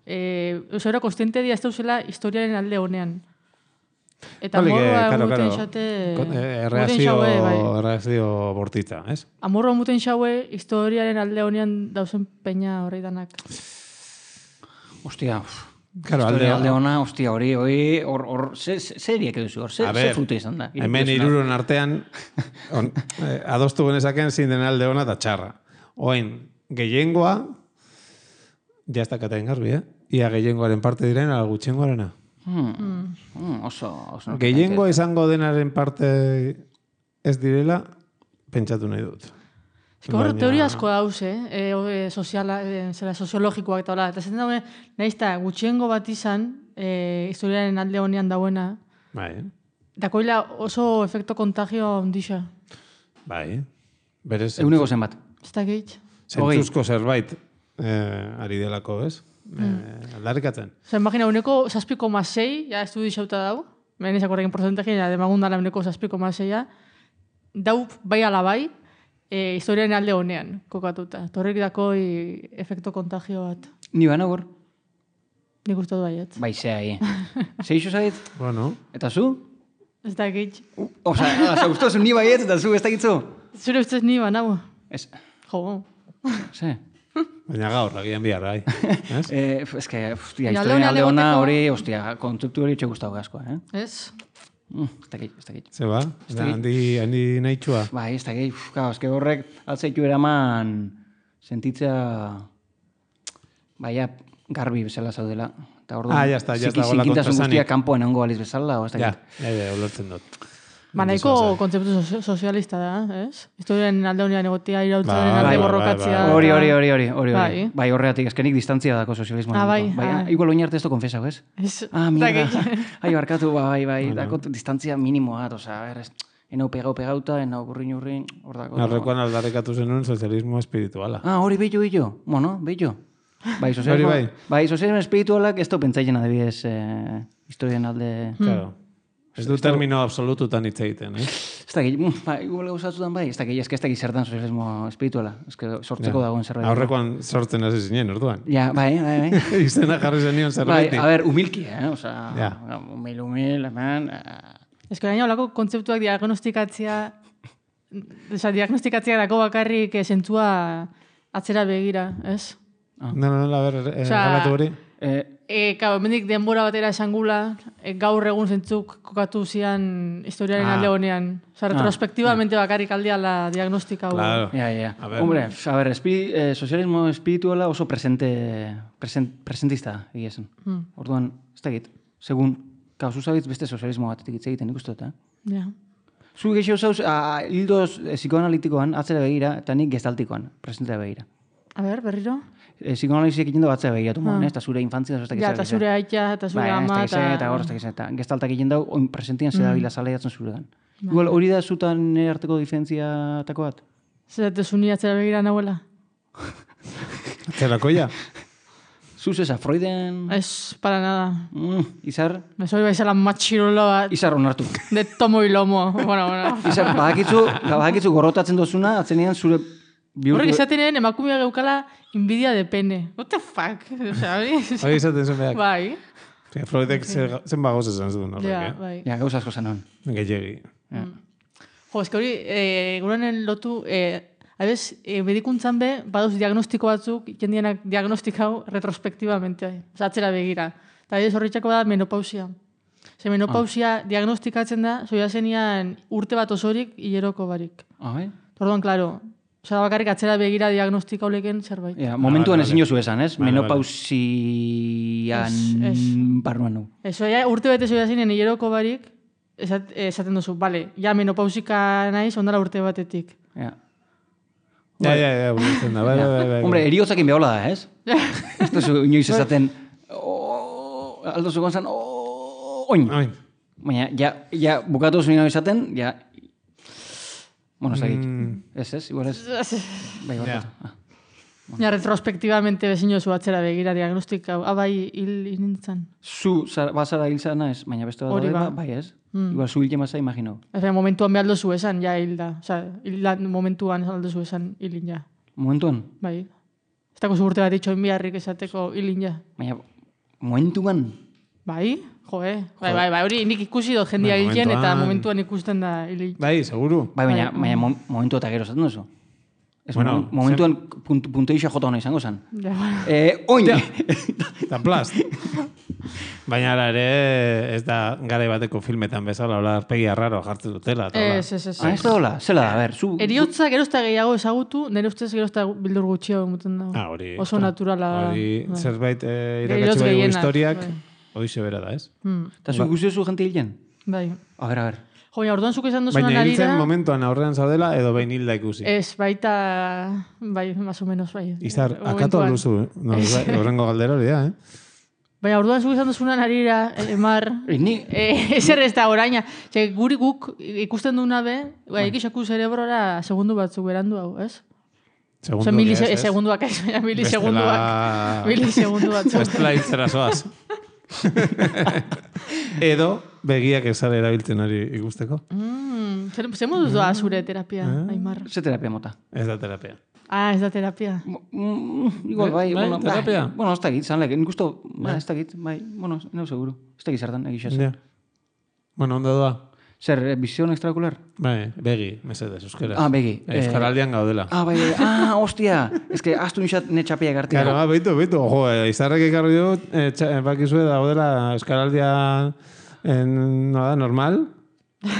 Eusera konstiente dia ez dauzela historiaren alde honean. Eta amorroa muten xate... Erreazio bortitza, ez? Amorroa muten xaue historiaren alde honean dauzen peña horrei danak. Ostia, alde hona, ostia, hori, seriak eduzu, zer fruta izan da. Hemen hiruron artean, adostu genezaken zein den alde hona eta txarra. Oin, gehiengoa, ja ez dakatain garbi, ia gehiengoaren parte diren, ala gutxengoarena. Oso. Gehiengoa izango denaren parte ez direla, pentsatu nahi dut. Horre, teoria asko dauz, soziologikoak eta hola. Eta zen dagoen, nahiz eta gutxiengo bat izan, historiaren alde honean dauena. Bai. Dakoila oso efekto kontagio ondisa. Bai. Eguneko zen bat. Ez da gehit. Zentzuzko zerbait ari delako, ez? Aldarrikatzen. Imagina, uneko 6,6, ja ez du dixauta dau, menezak horrekin porcentajean, demagundala uneko 6,6, dau bai alabai, historiaren alde honean, kokatuta. Torrik dakoi efekto kontagio bat. Ni bana gor? Nik uste du baiet. Bai, zea, Seixo zait? Bueno. Eta zu? Ez da gehit. Osa, guztozu ni baiet eta zu ez da gitzu? Zure ustez ni banau. Ez. Jo. Ze? Baina gaur, agian bihar, bai. Ez que, historien alde hona hori, kontzeptu hori etxe guztago gaskoa, Ez da gehi. Ze ba? Handi nahi txua? Bai, ez da gehi. Ez que horrek altzaitu eraman sentitzea baina garbi bezala zaudela. Ya está. Zikintasun guztia kanpoan egongo baliz bezala, o ez da gehi. Ja, ulertzen dut. Nahiko kontzeptu sozialista da, ez? Historiaren alde honean egotea, irautzaren alde borrokatzea. Hori. Bai, horregatik, ezkenik distantzia dako sozialismoan. Bai. Igual oinarte ez du konfesau, ez? Mierda. Barkatu, bai, dako distantzia minimoa, oza, enau pegauta, enau urrin, hor dako. Narrekoan aldarrikatu zenuen sozialismo espirituala. Hori billo. Bueno, billo. Bai, sozialismo espiritualak ez du pentsaien adibidez historiaren alde... Claro. Ez du termino absolututan hitz egiten, Ez da gehi, igual gauzatutan bai, ez da gehi zertan sozialismo espirituala. Ez que sortzeko dagoen zerbait. Aurrekoan sortzen hasi zinen, orduan. Ja, bai. Izena jarri zenion zerbait. Bai, humilki, Osa, humil, hemen... Ez que gaina olako kontzeptuak diagnostikatzea dako bakarrik zentzua atzera begira, ez? No, a ver, galatu hori. hemendik denbora batera esangula, gaur egun zentzuk kokatu zian historiaren alde honean. Osa, retrospektivamente bakarrik aldeala diagnostika hau. Claro. Ja. Hombre, a ver, sozialismo espirituala oso presentista egia zen. Orduan, ez dakit, segun, zuzabitz beste sozialismo batetik hitz egiten ikustu eta. Ja. Zu gehiago zauz, hildo psikoanalitikoan, atzera begira, eta nik gestaltikoan, presentea begira. A ber, berriro? Psikoanalizik egiten du atzera begiratu, eta zure infantzia, eta zure aita, eta zure ama, eta gestaltak egiten dau, oin presentian zedabila zaleiatzen zuregan. Igual, hori da zutan arteko diferentziatako bat? Zerate zuni atzera begira nahuela? Atzerakoia? Zuz esa, Freuden... Ez, para nada. Izar? Mesoi baizela matxirola bat. Izar onartu. De tomo y lomo. Bueno. Izar, badakitzu gorrotatzen dozuna, atzenean zure... Horrek esaten emakumea geukala invidia de pene. What the fuck? Hori esaten zuen behak. Bai. Freudek zen bagoz esan zuen horrek, Ja, bai. Ja, gauz asko zanon. Gehiagi. Jo, eski hori, gurenen lotu... Habez, medikuntzan be, baduz diagnostiko batzuk, jendienak diagnostikau retrospektibamente, atzera begira. Eta ez horretxako da menopausia. Menopausia diagnostikatzen da, zoia zenian urte bat osorik, hileroko barik. Bai? Orduan, klaro, bakarrik atzera begira diagnostika oleken zerbait. Momentuan ezin jozu esan, ez? Menopausian barruan nu. Eso, urte bete zoia zinen hileroko barik, esaten duzu, bale, ja menopausika naiz, ondala urte batetik. Ja, burutzen da, bai. Hombre, eriotzakin behola da, ez? Ez duzu inoiz esaten, aldo zu gonzan, oin. Baina, ja, bukatu zuen esaten, ja, bueno, ez ez, igual ez. Bai, Ja, retrospektivamente bezino zu atzera begira diagnostika, bai, hil nintzen. Zu, bazara hil zara ez, baina beste bat bai ez? Igual zu hil jemazza imagino. Momentuan behar dozu esan, ja hil da. Osa, momentuan aldozu esan hilin ja. Momentuan? Bai. Ez dako zu urte bat itxoin biharrik esateko hilin ja. Baina, momentuan? Bai, bai, hori nik ikusi dut jendia hilen eta momentuan ikusten da hilin. Bai, seguru. Bai, baina momentu eta gero zaten duzu. Bueno, momentuan punteisha jota hona izango zen. Oin! Eta plast. Baina ara ere ez da garai bateko filmetan bezala, hola arpegi arraro jartzen dutela. Ez. Ez da hola, zela da, ber, zu... Eriotza gerozta gehiago ezagutu, nire ustez gerozta bildur gutxio emuten da. Hori. Oso naturala. Hori, zerbait irakatsi baigu historiak, hori sebera da, ez? Eta zu guztiozu jente hilen? Bai. A ver. Jo, orduan zuk esan duzunan baina arira... hiltzen momentuan aurrean zaudela edo behin hilda ikusi? Ez, baita... Bai, más o menos, bai. Izar, akatu alduzu, horrengo galdera hori da, Baina orduan zuk esan duzunan arira, Mar... Ezer ez da oraina. Guri guk ikusten duna be, ikisaku zerebrora segundu batzuk berandu hau, ez? Segunduak ez, milisegunduak. Bestela hiltzera zoaz. Edo begiak ezara erabiltzen hori ikusteko. Zer moduz doa zure terapia, Aimar? Ze terapia mota? Ez da terapia. Ez da terapia. Igual, bai, terapia? Bueno, ez da git, zanlek, ikusto, ez da git, bai, bueno, neu seguru. Ez da git zertan, egixaz. Bueno, ondo doa? Zer, visión extraocular? Bai, begi, mesedez, euskera. Begi. Euskaraldian gaudela. Bai, hostia, ez que astu nixat netxapia gartia. Claro, beitu, jo, izarrek ekarri dut, bakizue daudela Euskaraldian normal,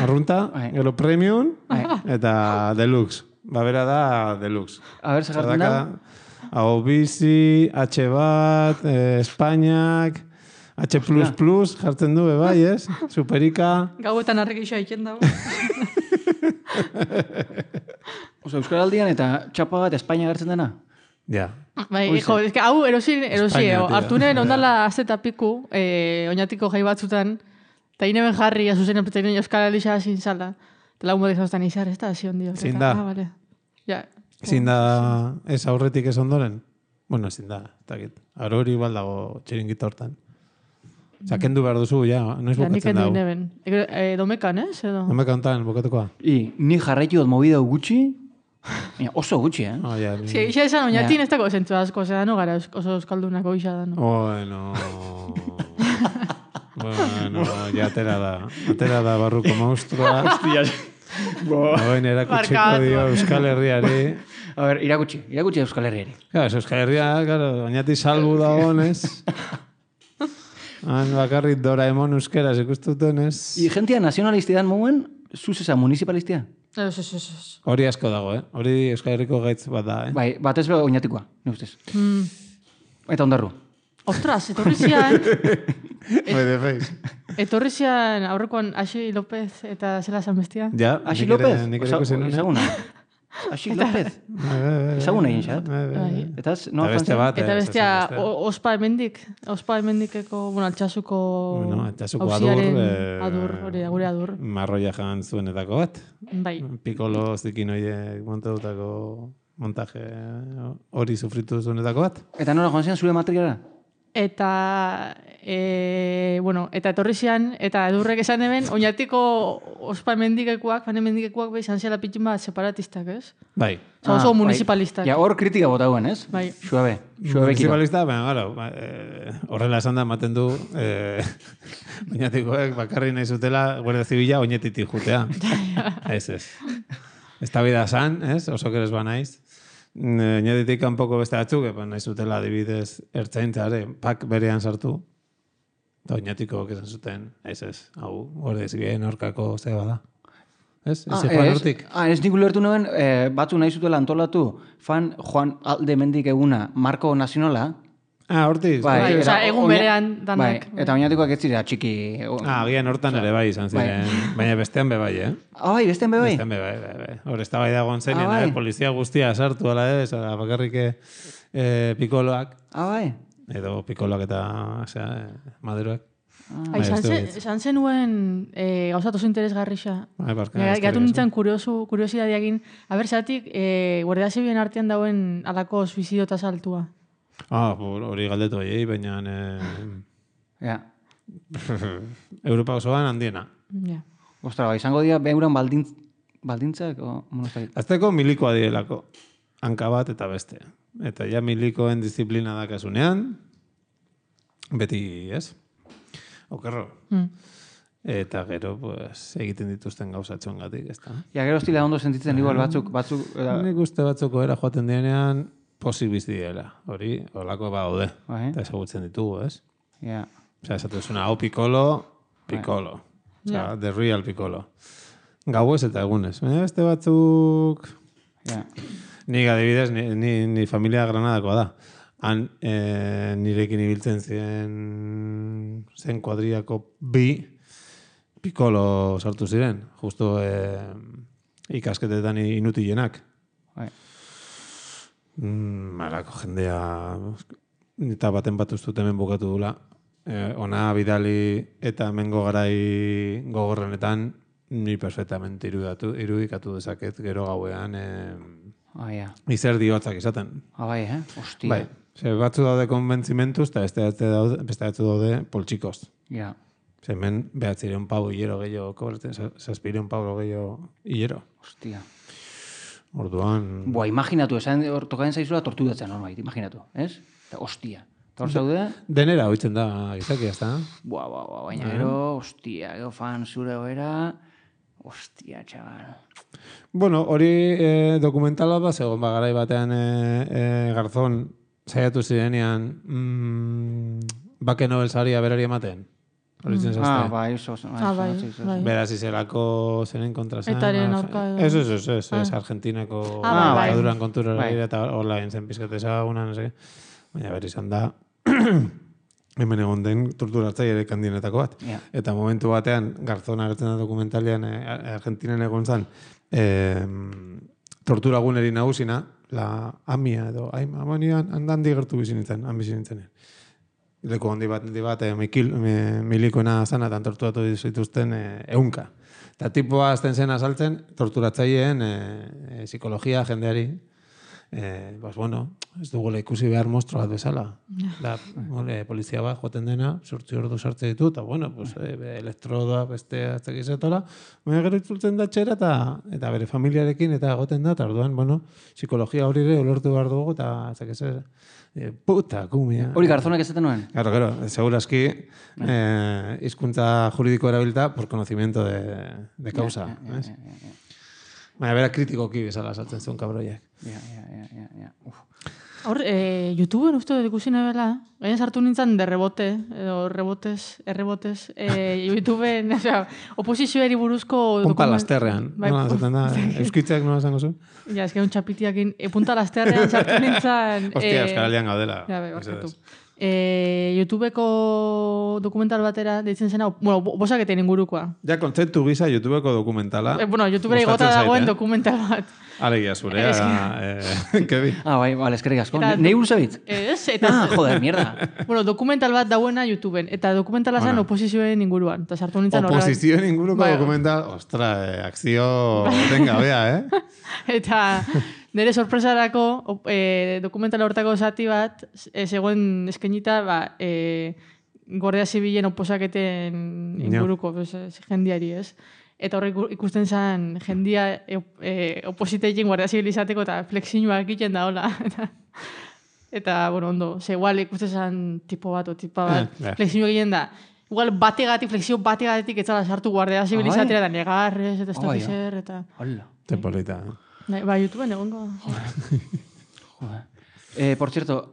arrunta, gero premium, eta deluxe. Bera da deluxe. A ver, segartzen da? Hau bizi, H bat, Espainiak, H++, jartzen du, bai, ez? Superika. Gauetan arrekixoa iken dago. Oso, Euskaraldian eta txapa bat Espainia gertzen dena? Ja. Bai, hau erosi, hartunen ondala azeta piku, oinatiko jai batzutan, eta ineben jarri, azuzenen pretenen Euskaraldia zintzala. Eta lagun bat izan izar, ez da, zion dio. Zin da. Zin da, ez aurretik ez ondoren? Bueno, zin da, eta git. Aro hori baldago txiringita hortan. Osa, kendu behar duzu, ja, noiz bukatzen dago. Ja, nik neben. Domekan, ez? Domekan honetan, bukatukoa. Ni jarraitu dut movida gutxi, oso gutxi, Isa esan, oinatin ez dago zentzu asko, zeda no gara oso euskaldunako isa da, no? Bueno, ja atera da barruko monstrua. Hostia. Oin erakutsiko dio Euskal Herriari. A ver, irakutsi Euskal Herriari. Claro, Euskal Herria, oinati salbu da honez. Han bakarrik Doraemon euskeraz ikustuten ez. I jentia nazionalistidan mouen, zuzesa municipalistia? Ez. Hori asko dago, Hori Euskal Herriko gaitz bat da, Bai, batez be oinatikoa, ne ustez. Eta ondarru. Ostras, etorri zian... Bede feiz. Etorri zian aurrekoan Axi López eta zela esan bestia. Ja, Axi López? Ezaguna. Axi López? Ezaguna egin xat? Eta beste bat. Eta bestia ospa hemendikeko, altxasuko adur, gure adur. Marroia jan zuenetako bat. Bai. Pikolo zikin horiek montadutako montaje hori sufritu zuenetako bat. Eta nola joan zian zure materiala? Eta etorri zian, eta edurrek esan eben, oinatiko ospa hemendikekuak, izan ziala pitxin bat separatistak, ez? Bai. Oso municipalistak. Ja, hor kritika bota guen, ez? Bai. Suabe. Municipalista, horrela esan da, maten du, oinatikoek bakarri nahi zutela, Guardia Zibila oinetitik jutea. Ez. Ez da bida san, ez? Oso keres ba naiz. Oinetitik kanpoko beste batzuk, nahi zutela adibidez ertzaintzare, pak berean sartu. Eta oinatiko esan zuten, ez, hau, Guardia Zibilen aurkako zeba da. Ez joan hortik. Ez nik ulertu nuen, batzu nahi zutela antolatu, fan Juan Aldemendik eguna, Marko Nazionala. Hortik. Bai, egun berean danak. Bai, eta oinatikoak ez zira txiki. Agian hortan ere bai izan ziren, baina bestean be bai, bai, bestean be bai? Bestean be bai. Hor, ez da bai dagoen zeinen, polizia guztia sartu, ala ez, bakarrik pikoloak. Bai? Edo pikoloak eta maderoak. Izan zenuen gauzat oso interesgarrixa. Gatu nintzen kuriosidadeagin, zatik, Guardia Zibilen artean dauen alako suizidio eta saltua. Hori galdetu bai, baina... Ja. Europa osoan handiena. Ja. Ostra, izango dira behuran baldintzak? Azteko milikoa direlako. Hanka bat eta beste. Eta ja milikoen disiplina dakasunean, beti, ez? Okerro. Eta gero, egiten dituzten gauzatxoan gatik, ez da? Ja, gero estila ondo sentitzen igual batzuk... Nik uste batzuk era joaten dienean, posik bizi diela. Hori, holako badaude. Eta ezagutzen ditugu, ez? Ja. Osea, esatu zuna, hau pikolo. Osea, the real pikolo. Gauez eta egunez. Beste batzuk... Nik adibidez, ni familia Granadakoa da. Han nirekin ibiltzen zen kuadriako bi pikolo sartu ziren. Justo ikasketetan inutilenak. Marako jendea eta baten bat ustut hemen bukatu dula. Ona bidali eta hemengo garai gogorrenetan ni perfectamente irudikatu dezaket gero gauean izer diotzak izaten. Bai, Ostia. Bai, batzu daude konbentzimentuz eta beste batzu daude poltsikoz. Ja. Hemen 900 pau hilero gehiago kobratzen, 700 pau gehiago hilero. Ostia. Orduan... Imaginatu, esan tokaden zaizula torturatzen normait, imaginatu, ez? Ostia. Eta hor zaude? Denera hoitzen da, izaki, ez da? Baina gero, ostia, gero fan zure goera, ostia, txabal. Bueno, hori dokumentala bat, segon garai batean Garzón saiatu zirenean Bake Nobel saria berari ematen. Bai. Beraz izelako zenen kontrasan. Etaren aurka edo. Ez, Argentinako dikaduran kontura eta hola zen pizkateza una, no sé. Baina berri izan da hemen egon den torturatzaileek handienetako bat. Eta momentu batean Garzón agertzen da dokumentalean Argentinen egon zen tortura guneri nagusina, la Amia edo Amanian handi gertu bizi nintzen, leku handi bat milikoena zana eta torturatu dituzten ehunka. Eta tipoa azten zen azaltzen torturatzaileen psikologia jendeari. Ez dugula ikusi behar mostro bat bezala. Polizia bat joaten dena, 8 ordu sartze ditu, eta elektrodoa beste atzakizetola, baina gero itzultzen da txera eta bere familiarekin eta egoten da, eta orduan, psikologia hori ere ulertu behar dugu, eta atzakizera. Puta, kumia. Hori Garzonak ezaten nuen? Claro, seguraski hizkuntza juridiko erabilta por conocimiento de causa. Baina bera kritikoki bezala saltzen zuen kabroiak. Ja. Hor, YouTubeen uste dut ikusi nebela, gaina sartu nintzen de rebote, edo errebotez, YouTubeen, oposizioari buruzko... Punta lasterrean, nola zaten da, euskitzak nola zango zu? Ja, ez que un txapitiakin, punta lasterrean sartu nintzen... Hostia, Euskaralian gaudela. Ja, barkatu. YouTubeko dokumental batera, deitzen zena, bueno, bosaketen ingurukoa. Ja, kontzeptu gisa YouTubeko dokumentala. YouTubera igota dagoen dokumental bat. Alegia zurea, Kebi. Bai, eskerrik asko. Nei buruz abitz? Ez, eta... Joder, mierda. Bueno, dokumental bat dauena YouTubeen, eta dokumentala zen oposizioen inguruan. Eta sartu nintzen horregat. Oposizioen inguruko dokumental, ostra, akzio tenga, bea, Eta... Nere sorpresarako dokumentala hortako zati bat, zegoen eskenita, Guardia Zibilen oposaketen inguruko jendiari, ez? Eta horrek ikusten zen jendia opositeekin Guardia Zibil izateko eta flexioak egiten da, hola. Eta, bueno, ondo, igual ikusten zen tipo bat o tipa bat, flexio egiten da. Igual flexio bategatik etzala sartu Guardia Zibil izatera, eta negarrez, eta estokizer, eta... Hola. Tempolita, YouTubeen egongo. Por cierto,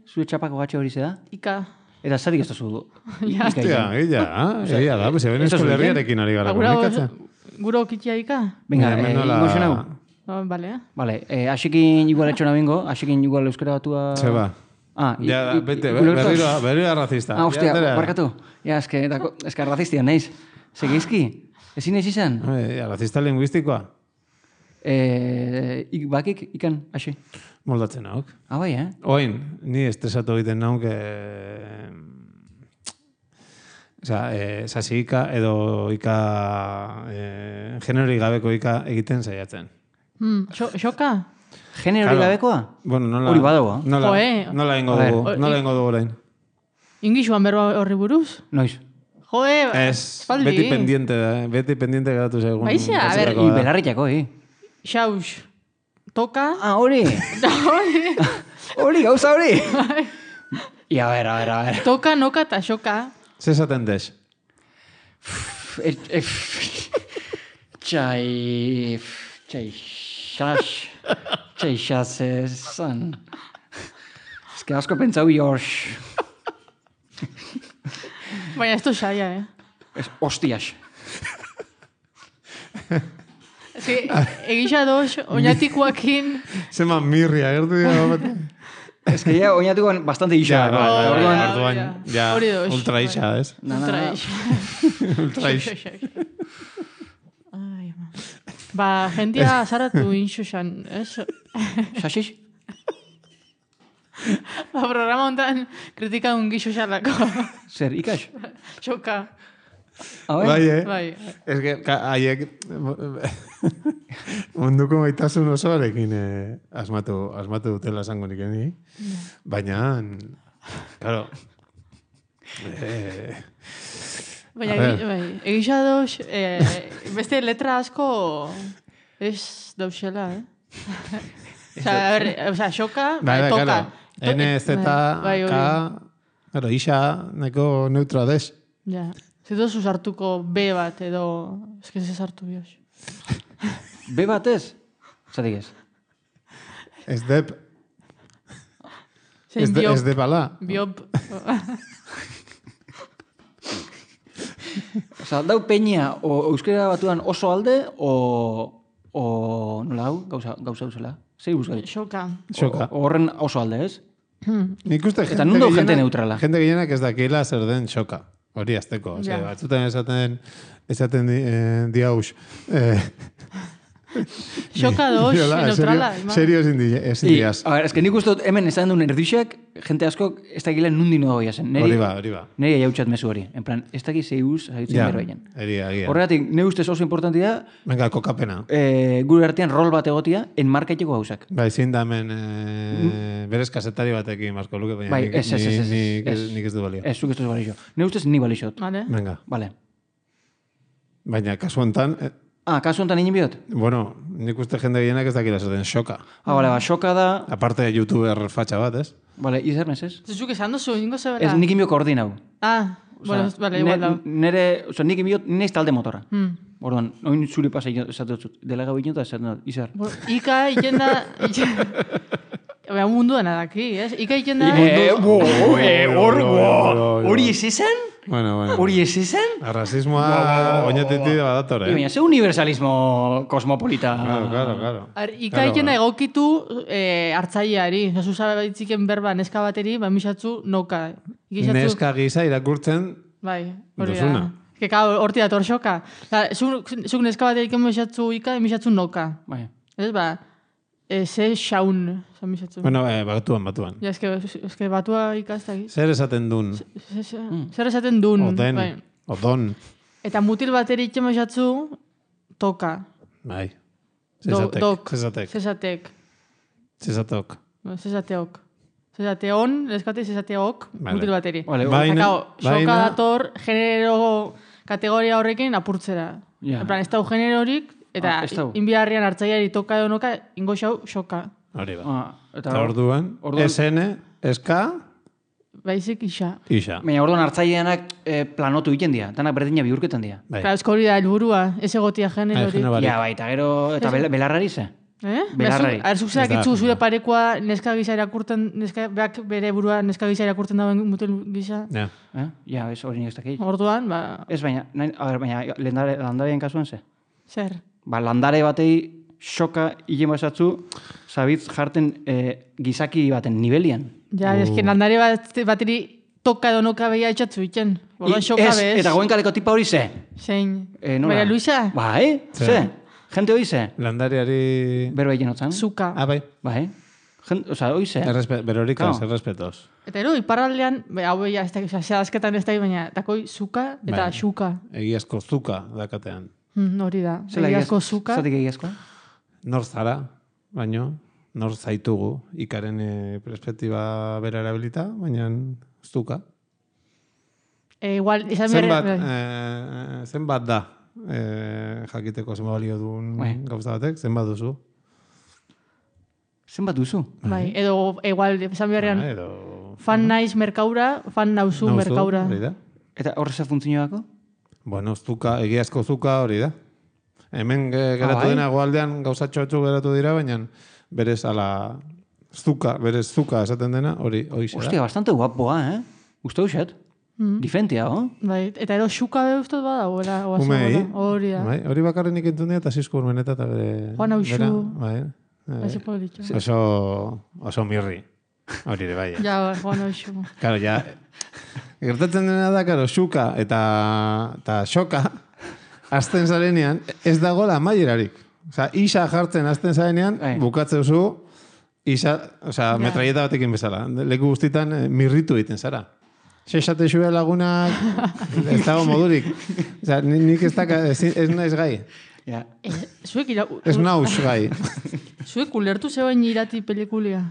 zure txapako H hori ze da? Ika. Eta zatik ez da zu du. Hostia, egia da, pues eben Euskal Herriarekin ari gara komunikatzen. Guro kitia Ika? Venga, ingo xenau. Vale. Vale, asikin igual etxona bingo, asikin igual euskara batua... Zeba. Berriro razista. Hostia, barkatu. Ja, eske razistia, naiz. Segizki, ezin ez izan? Razista lingüistikoa. Bakik, ikan, hasi. Moldatzen nauk. Bai, Oin, ni estresatu egiten nauk... Sasi ika edo ika... Generori gabeko ika egiten saiatzen. Xoka? Generori gabekoa? Bueno, nola... Hori badagoa. Nola ingo dugu orain. Ingisuan berba horri buruz? Noiz. Joe, beti pendiente geratu segun. Baizia, a ver... Belarritako, Xaus, toka... Hori! Hori, gauza hori! A ver. Toka, noka eta xoka. Ze esaten dez? Txaixaz ezan. Ez que asko pentsau jors. Baina ez du xaia, Hostias. Egisa doz, oinatikoakin... Zema mirria, gertu dira. Ez que ya oinatikoan bastante isa. Ja, ultra isa, ez? Ultra isa. Jendia zaratu inxuxan, ez? Xaxix? Programa hontan kritika un gixuxalako. Zer, ikas? Xoka. Bai. Ez que, haiek... Munduko maitasun osoarekin asmatu dutela esango nik eni. Baina, claro... Baina, egisa doz, beste letra asko ez dauzela, Osa, xoka, toka. N, Z, K... Isa, neko neutroa dez. Ja. Zitu zuzartuko B bat edo... Ez que ez hartu bioz. B bat ez? Zatik ez? Ez dep. Ez depala. Biop. Osa, dau peña euskera batuan oso alde o nola hau? Gauza duzela? Zei buskai? Xoka. Horren oso alde, ez? Nik uste eta nundo gente neutrala. Gente gehienak ez dakiela zer den xoka. Hori azteko. Batzutan esaten diauz. Xoka doz, neutrala. Serio ezin diaz. A ver, es que nik uste hemen esan duen erdixek, gente asko ez dakile nundi no goia zen. Hori ba. Neri jautxat mezu hori. En plan, ez dakil zeiguz haitzen berbaien. Egia. Horregatik, ne ustez oso importantia... Venga, kokapena. Gure artean rol bat egotia, enmarkaiteko gauzak. Bai, zein da hemen berez kasetari batekin, Marko Luke, baina nik ez du balio. Ez, zuk ez du balio. Ne ustez ni balixot. Venga. Vale. Baina, kasu honetan... kasu honetan inin biot? Bueno, nik uste jende gehienak ez dakila zaten xoka. Bale, xoka da... Aparte de youtuber fatxa bat, ez? Bale, izan ez? Zuzuk esan duzu, ingo zebera? Ez nik inbio koordinau. Bueno, igual da. Nere, nik inbio, neiz talde motora. Orduan, oin zure pasa esatu dut, dela gau ino eta esatu dut, izar. Ika iten da... Baina mundu dena daki, ez? Ika iten da... Hori ez esan? Bueno. Hori ez esan? Arrazismoa oinetiti badatore. Baina, ze universalismo kosmopolita. Claro. Ika iten da egokitu hartzaileari. Zazu zabaitzikien berba neska bateri, misatzu noka. Neska gisa irakurtzen bai, hori duzuna. Keka horti dator xoka. Zuk neska baterik misatzu ika, misatzu noka. Bai. Ez ba, ze xaun, misatzu. Bueno, batuan. Ja, eske batua ikaztaki. Zer esaten dun? Zer esaten dun. Odon. Eta mutil bateri itxemesatzu, toka. Bai. Zezatek. Zezateon, leskate zezateok, mutil bateri. Baina, xoka dator, genero kategoria horrekin apurtzera. En plan, ez dau generorik, eta inbiharrian hartzaiari toka edo noka, ingo xau, xoka. Hori ba. Eta orduan, SN, SK... Baizik isa. Baina orduan hartzaileanak planotu egiten dira, danak berdina bihurketan dira. Claro, esko hori da helburua, ez egotia generorik. Ja, bai, eta gero, eta belarrari ze? Belarrari. Arzuk zerak itzu zure parekoa neska gisa irakurten, beak bere burua neska gisa irakurten dauen mutil gisa. Ja, ez hori ez dakit. Orduan, ba... Ez baina, landareen kasuan ze? Zer? Ba, landare batei xoka hile basatzu, zabitz jarten gizaki baten nivelian. Ja, esken landare bateri toka edo noka behia etxatzu iten. Eta goen kaleko tipa hori ze? Zein? Maria Luisa? Bai, ze? Jente hori ze? Landareari... Berba egin otzan? Zuka. Bai. Bai. Osa, hori ze? Berorikaz, errespetos. Eta ero, iparraldean, hau behia, zehazketan ez da, baina, takoi zuka eta xuka. Egiazko zuka dakatean. Hori da. Egiazko zuka. Zatik egiazkoa? Nor zara, baino, nor zaitugu, ikaren perspektiba bera erabilita, baina zuka. Igual, izan zenbat da, jakiteko zenbat balio duen gauza batek, zenbat duzu? Zenbat duzu? Bai, edo, igual, izan beharrean, fan naiz merkaura, fan nauzu merkaura. Eta horreza funtzioako? Bueno, zuka, egiazko zuka hori da. Hemen geratu dena goaldean gauzatxo batzu geratu dira, baina berez berez zuka esaten dena, hori zera. Ostia, bastante guapoa, Uste uxet? Difentia, Bai, eta ero xuka be ustez bada, Umei. Hori bakarren ikentun dira, eta Sisko Urmeneta, eta bere... Juan Auxu. Bai. Oso mirri. Hori ere, bai. Ja, Juan Auxu. Karo, ja... Gertatzen dena da, karo, xuka eta xoka, azten zarenean, ez dagoela amaierarik. Osa, isa jartzen azten zarenean, bukatze duzu, isa, metraieta batekin bezala. Leku guztitan mirritu egiten zara. Sexate xue lagunak, ez dago modurik. Osa, nik ez naiz gai. Ez nauz gai. Zuek ulertu zeuen irati pelikulia?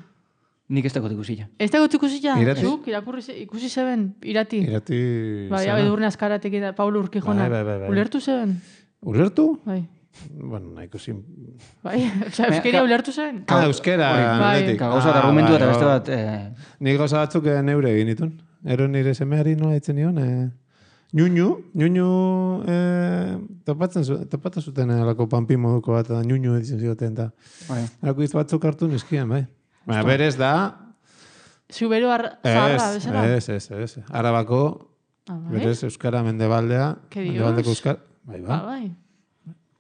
Nik ez dagoet ikusila. Ez dagoet ikusila? Zuk, ikusi zeben, irati. Bai, edurne azkaratek eta Paulo Urquijona. Ulertu zeben? Ulertu? Bai. Bueno, nahi ikusi... Bai, euskeria ulertu zeben? Euskera, netik. Gauza eta argumentu eta beste bat... Nik gauza batzuk neure egin ditun. Ero nire semeari nola ditzen nion. Ñuñu topatzen zuten alako panpi moduko bat, eta ñuñu editzen zigoten, eta alako izan batzuk hartu nizkian, bai. Baina berez da... Zubero zaharra, bezala? Ez. Arabako, berez euskara mendebaldea, mendebaldeko euskara. Bai.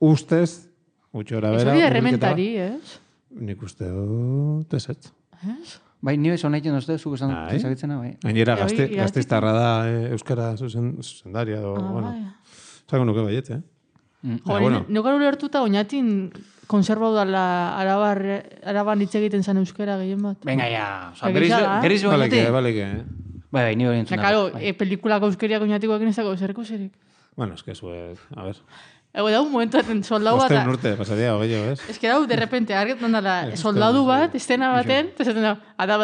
Ustez, gutxora bera... Ez hori errementari, ez? Nik uste dut ezetz. Ez? Bai, nire zona egiten dozte, zuk esan ezagitzena, bai. Gainera, gazteiztarra da euskara zuzendaria, bueno. Zago nuke baiet, Neukar ulertuta oinatin konserbau dala araban hitz egiten zen euskera gehien bat. Venga, ja. Berriz oinati? Baleke. Bai, nire hori entzuna. Karo, pelikulako euskeriak oinatikoak inezako zerko zerik. Bueno, es que zuek, a ver... Ego dau momentuaten soldau bat... Osten urte, pasadia, ogeio, ez? Ez que dau, de repente, argetan dala, soldadu bat, estena baten, esaten dau, ada.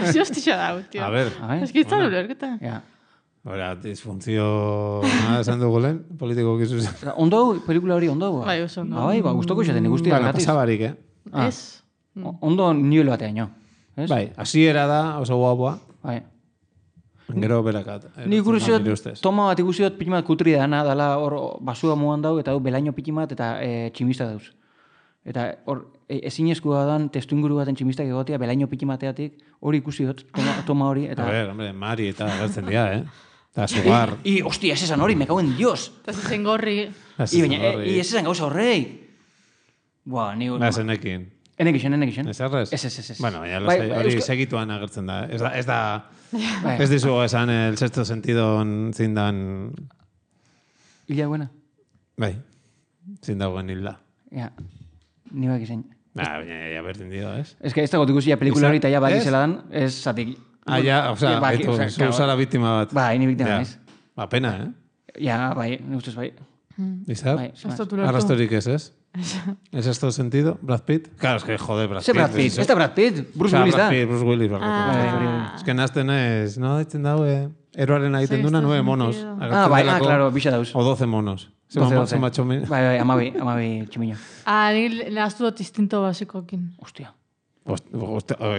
Asi hostia dau, tio. A ver. Ez que itzan ulerketa. Ja. Hora, disfuntzio... esan dugu lehen, politiko gizu zen. Ondo, pelikula hori ondo? Bai, oso ondo. Bai, guztoko izaten, guztia. Bueno, pasabarik, Ez. Ondo nivel batean, jo. Bai, hasiera da, oso guapua. Bai. Gero berakat. Ni ikusiot, toma bat ikusiot piti bat kutri dala hor basua muan dau, eta belaino piti bat eta tximista dauz. Eta hor, ezinezkoa dan testu inguru baten tximistak egotea, belaino piti mateatik, hori ikusiot, toma hori. Eta... A ver, hombre, Mari eta agertzen dira, Eta sugar. Hostia, ez esan hori, me cago en Dios. Eta zezen gorri. Ez esan gauza horrei. Buah, ni... Enekin. Enekixen. Ez errez? Ez. Bueno, hori segituan agertzen da. Ez dizu esan el sexto sentido zindan... Hilda buena? Bai, zindagoen hilda. Ja, ni bak izan. Baina, ya berdin dio, ez? Ez que ez dago ikusia pelikula hori eta ja baki zela dan, ez zatik... Ja, osea, zu zara biktima bat. Bai, ni biktima naiz. Ba, pena, Ja, bai, ne ustez bai. Izar? Arrastorik ez? ¿Es esto sentido? ¿Brad Pitt? Claro, es que joder, Brad Pitt. Brad Pitt? ¿Este Brad Pitt? Bruce Willis da? Bruce Willis. Es que nazten ez, no, ditzen daue, eroaren egiten duna 9 monos. Claro, bixa dauz. O 12 monos. 12. Bai, amabi tximiño. Nik nahaztu dut instinto basikokin. Hostia.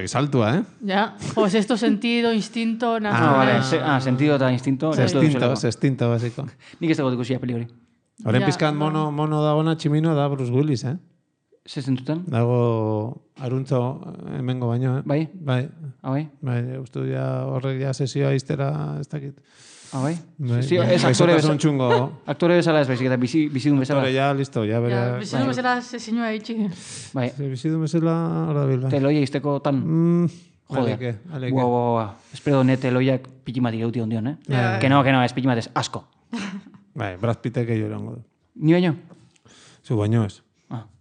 Saltua, Ja, sexto sentido, instinto... Vale, sentido eta instinto. Sextinto, basiko. Nik ez dago ikusia peli hori. Horren pizkat mono dagona tximino da Bruce Willis, Ze zentutan? Dago aruntzo hemengo baino, Bai? Bai. Bai? Bai, uste ja horrek ja sesioa iztera ez dakit. Bai? Ez aktore bezala ez baizik eta bizidun bezala. Aktore ja, listo, ja bere... Bizidun bezala sesinua itxi. Bai. Bizidun bezala hor da bila. Teloia izteko tan... Joder. Guau. Espero ne teloiak pitimatik euti ondion, Que no, ez pitimatez, asko. Bai, Brad Pittek egin erango du. Ni baino? Zu baino ez.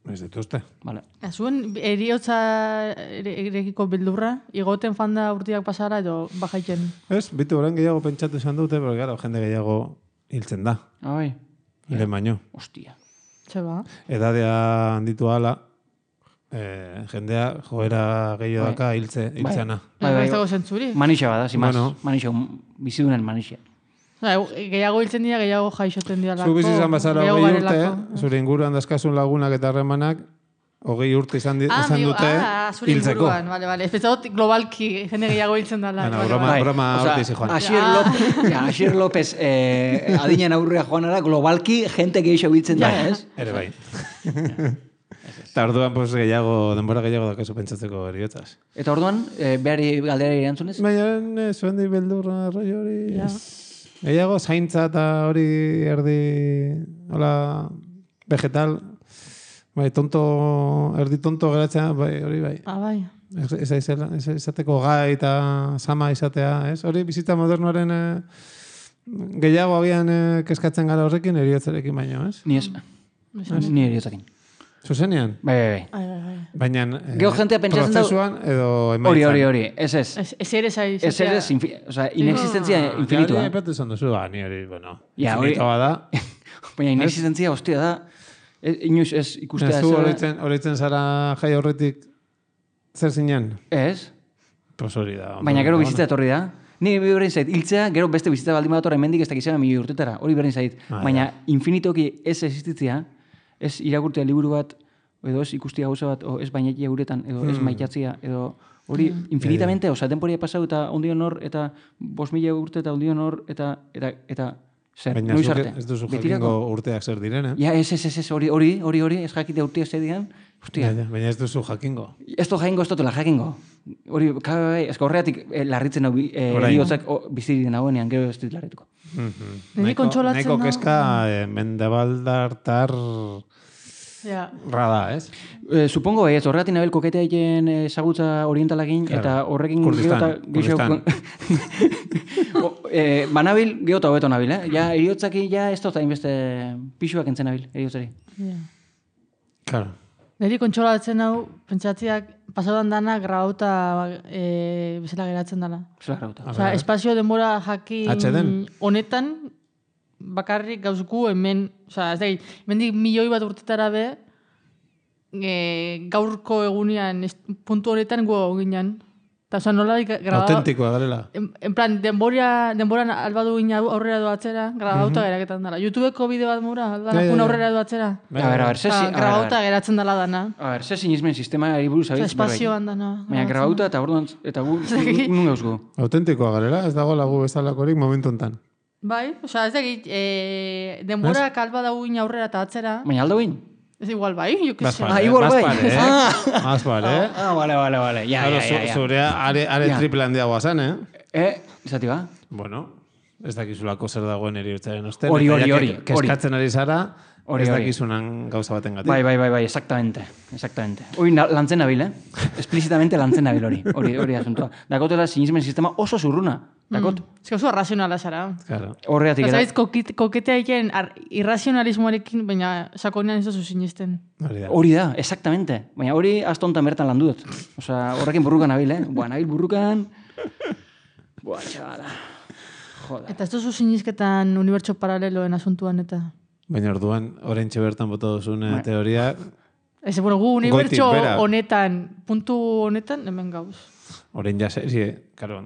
Ez dituzte. Vale. Zuen eriotza erekiko bildurra, igoten fanda urtiak pasara edo bajaiten? Ez, bitu horren gehiago pentsatu izan dute, pero gara, jende gehiago hiltzen da. Bai. Hilen baino. Hostia. Txeba. Edadea handitu ala, jendea joera gehiago daka hiltzeana. Ez dago zentzuri. Manixa bada, zimaz. Manixa, bizidunen manixa. Gehiago hiltzen dira, gehiago jaixoten dira lako. Zu bizizan bazara 20 urte, zure inguruan dazkasun lagunak eta harremanak, 20 urte izan dute hiltzeko. Ez petzagot globalki jende gehiago hiltzen dela. Broma horti zi joan. Asier López adinen aurrea joanara, globalki jente gehiago hiltzen da, ez? Ere bai. Eta orduan denbora gehiago dakazu pentsatzeko eriotzaz. Eta orduan, behari galdera irantzunez? Baina, zuen di beldurra, roi hori... Gehiago, zaintza eta hori erdi, hola, vegetal, bai, erdi tonto geratzea, bai, hori bai. Bai. Ez izateko gai eta sama izatea, ez? Hori bizitza modernoaren gehiago agian keskatzen gara horrekin, eriotzarekin baino, ez? Ni ez. Ni eriotzakin. Zuzenean? Bai. Baina prozesuan edo emaitzan. Hori. Ez. Ez ere zaiz. Ez ere, inexistentzia infinitua. Ja, epatu izan duzu, ni hori, bueno, infinitoa da. Baina inexistentzia, hostia da, inoiz ez ikustea. Zu horitzen zara jai horretik zer zinen? Ez. Pues hori da. Baina gero bizitza etorri da. Ni berdin zait, hiltzea, gero beste bizitza baldin bat hemendik ez dakizena milioi urtetara. Hori berdin zait. Baina infinitoki ez existitzia, ez irakurtea liburu bat, edo ez ikustia gauza bat, o ez bainetia guretan, edo ez maitatzia, edo hori infinitamente, oza, temporia pasau eta ondion hor, eta 5.000 urte eta ondion hor, eta zer, noiz arte. Ez duzu jakingo urteak zer diren, Ja, ez, hori, ez jakitea urteak zer diren, hostia. Baina ez duzu jakingo. Ez du jakingo, ez dutela jakingo. Hori, ez horreatik larritzen hau, biotzak bizirik nagoenean, gero ez dut larrituko. Nahiko keska mendebaldartar rada, ez? Supongo, ez, horregatik nabel koketea egin ezagutza orientalagin, eta horrekin Kurdistan. Banabil geota hobeto nabil, Ja, eriotzaki, ez dut hainbeste pixuak entzen nabil, eriotzari. Claro. Neri kontsolatzen hau, pentsatziak, pasadan dana grauta bezala geratzen dela. Bezala grauta. Osa, espazio denbora jakin honetan, bakarrik gauzku hemen, osa, ez da, hemendik 1.000.000 urtetara be, gaurko egunean, puntu honetan gu ginen. Eta oza, nola grabatu... Autentikoa garela. En plan, denboran albadu ina aurrera doatzera, grabauta geraketan dela. YouTubeko bideo bat mura, aldana aurrera doatzera. A ver, grabauta geratzen dela dana. A ver, ze sinismen sistema eriburu zabiz. Espazioan dana. Baina grabauta eta orduan, eta gu nun gauzko. Autentikoa garela, ez dago lagu bezalakorik momentu hontan. Bai, oza, ez dakit, denbora kalba dago ina aurrera eta atzera. Baina aldo bain? Ez igual bai, jo que sé. Igual bai. Más vale, vale. Ya. Zurea are triple handiagoa zen, Izati ba? Bueno, ez dakizulako zer dagoen eriortzaren osten. Hori. Keskatzen ari zara, ez dakizunan gauza baten gatik. Bai, exactamente. Hori lantzen nabil, Explícitamente lantzen nabil hori asuntua. Dakotela sinismen sistema oso zurruna. Dakot? Ez oso arrazionala zara. Claro. Horregatik eta. Zabaiz, koketea egin irrazionalismoarekin, baina sakonean ez oso sinisten. Hori da, exactamente. Baina hori astontan bertan landu dut. Osa, horrekin burrukan nabil, nabil burrukan. Txabala. Joder. Eta ez duzu sinisketan unibertso paraleloen asuntuan eta... Baina orduan, oraintxe bertan bota duzun teoria... Ez, bueno, gu unibertso honetan, puntu honetan, hemen gauz. Orain ja, claro,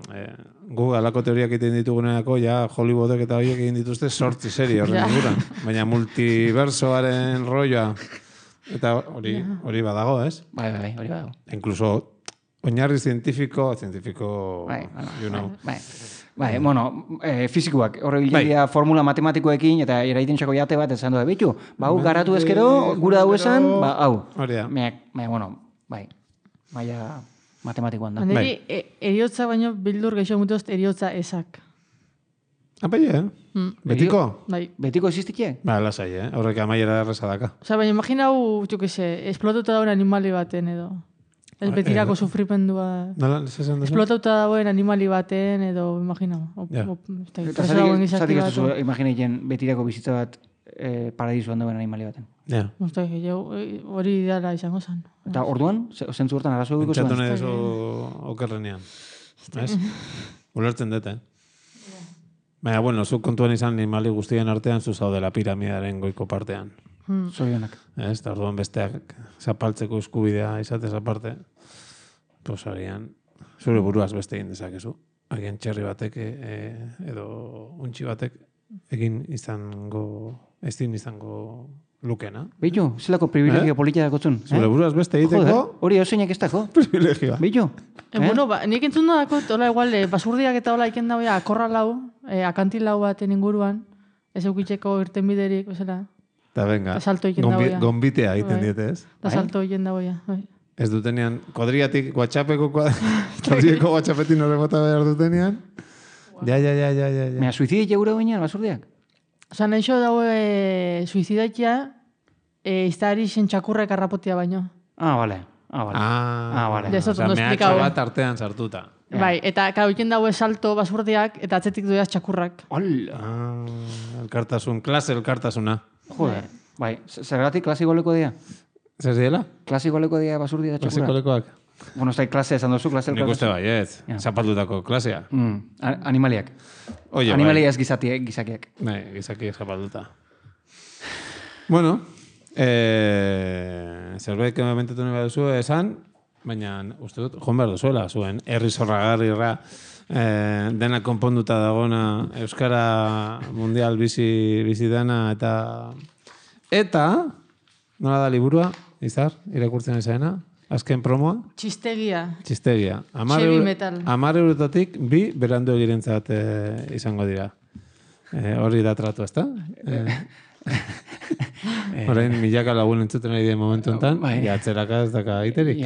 gu alako teoriak egiten dituguneako, ja Hollywoodek eta horiek egin dituzte 8 serie horren inguran. Baina multiversoaren rolloa, eta hori badago, ez? Bai, hori badago. Incluso, oinarri científico, you know. Bai, bueno, fizikoak, horre bilia formula matematikoekin, eta eraiten txako jate bat, esan du, betu, hau garatu ezkero, gura hau esan, hau. Hori da. Bueno, bai, maia matematikoan da. Neri, eriotza baino bildur geixo mutozt eriotza esak. Bai, Betiko? Bai. Betiko existikie? Ba, lasai, horrek amaiera errezadaka. Osa, baina imagina hau, esplotauta dauen animali baten edo. Ez betirako sufripendua. Esplotauta dauen animali baten edo, imagina. Eta zatik ez duzu imaginatzen betirako bizitza bat paradisuan dauen animali baten. Ja. Hori ideala izango zen. Eta orduan, zentzu hortan arazo dugu zuen? Pentsatu nahi okerrenean. Ez? Ulertzen dut, Baina, bueno, zuk kontuan izan animali guztien artean zuzaudela piramidaren goiko partean. Zorionak. Ez, eta orduan besteak zapaltzeko eskubidea izatez aparte, pues agian, zure buruaz beste egin dezakezu. Agian txerri batek edo untxi batek egin izango lukena. Beitu, zelako privilegio politia dakotzun. Zure buruaz beste egiteko... Hori hausenak ez dako. Privilegioa. Beitu. Bueno, nik entzun da dakot, hola igual, basurdiak eta hola iken dagoia, akorra lau, akantil lau baten inguruan, ez eukitzeko irten biderik, bezala. Eta venga, gombitea egiten diete, ez? Da salto egin dagoia. Ez dutenean, kodriatik kodriako WhatsAppetin horre bota behar dutenean. Ja. Mea, suizidik egura guinean, basurdiak? Osa, nahixo daue suizidakia, iztari zen txakurrek arrapotia baino. Vale. Osa, mehatxo bat artean sartuta. Bai, eta kauken daue salto basurdiak, eta atzetik duaz txakurrak. Klase elkartasuna. Joder, bai, zergatik klasigoleko dia? Zer diela? Klasigoleko dia basurdia da txakurra? Klasikolekoak? Bueno, ez klase esan dozu, klase elkartasuna. Nik uste bai, ez. Zapaldutako klasea. Animaliak. Animaliak ez gizakiak. Bai, gizakiak zapalduta. Bueno, zerbait kementetu nahi baduzu esan, baina uste dut, joan behar duzuela, zuen herri zorragarrirra dena konponduta dagona Euskara Mundial bizi dena eta nola da liburua, Izar, irakurtzen ezaena, azken promoa? Txistegia. 10 eurotatik 2 berandu egirentzat izango dira. Hori da tratu, ezta? Horein, milaka lagun entzuten ari den momentu enten, atzeraka ez daka aiterik.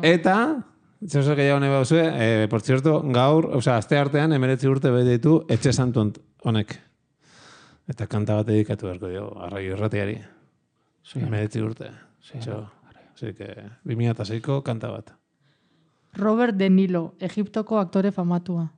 Eta, zehose gehiago nahi bauzue, por cierto, gaur, azte artean, 19 urte bete ditu, Etxe Santu honek. Eta kanta bat edikatu beharko dio, Arraio Irratiari. 19 urte. Así que, 2006ko kanta bat. Robert De Niro, Egiptoko aktore famatua.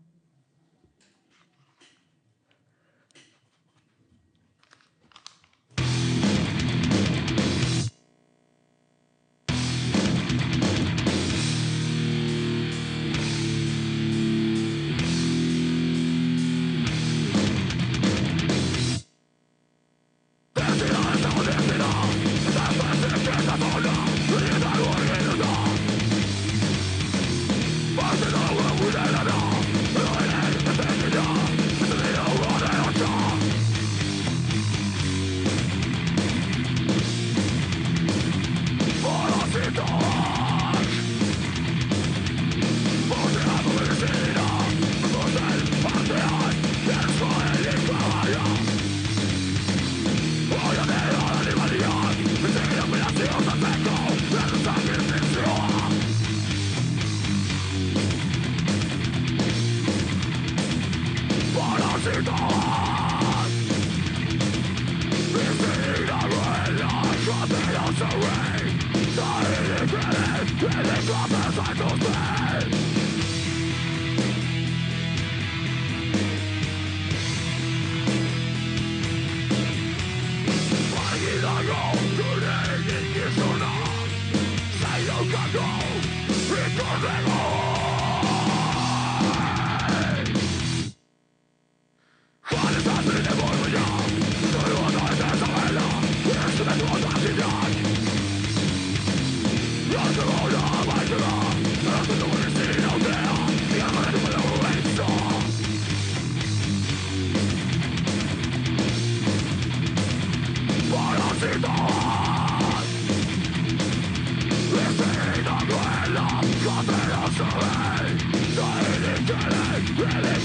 Really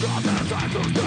got the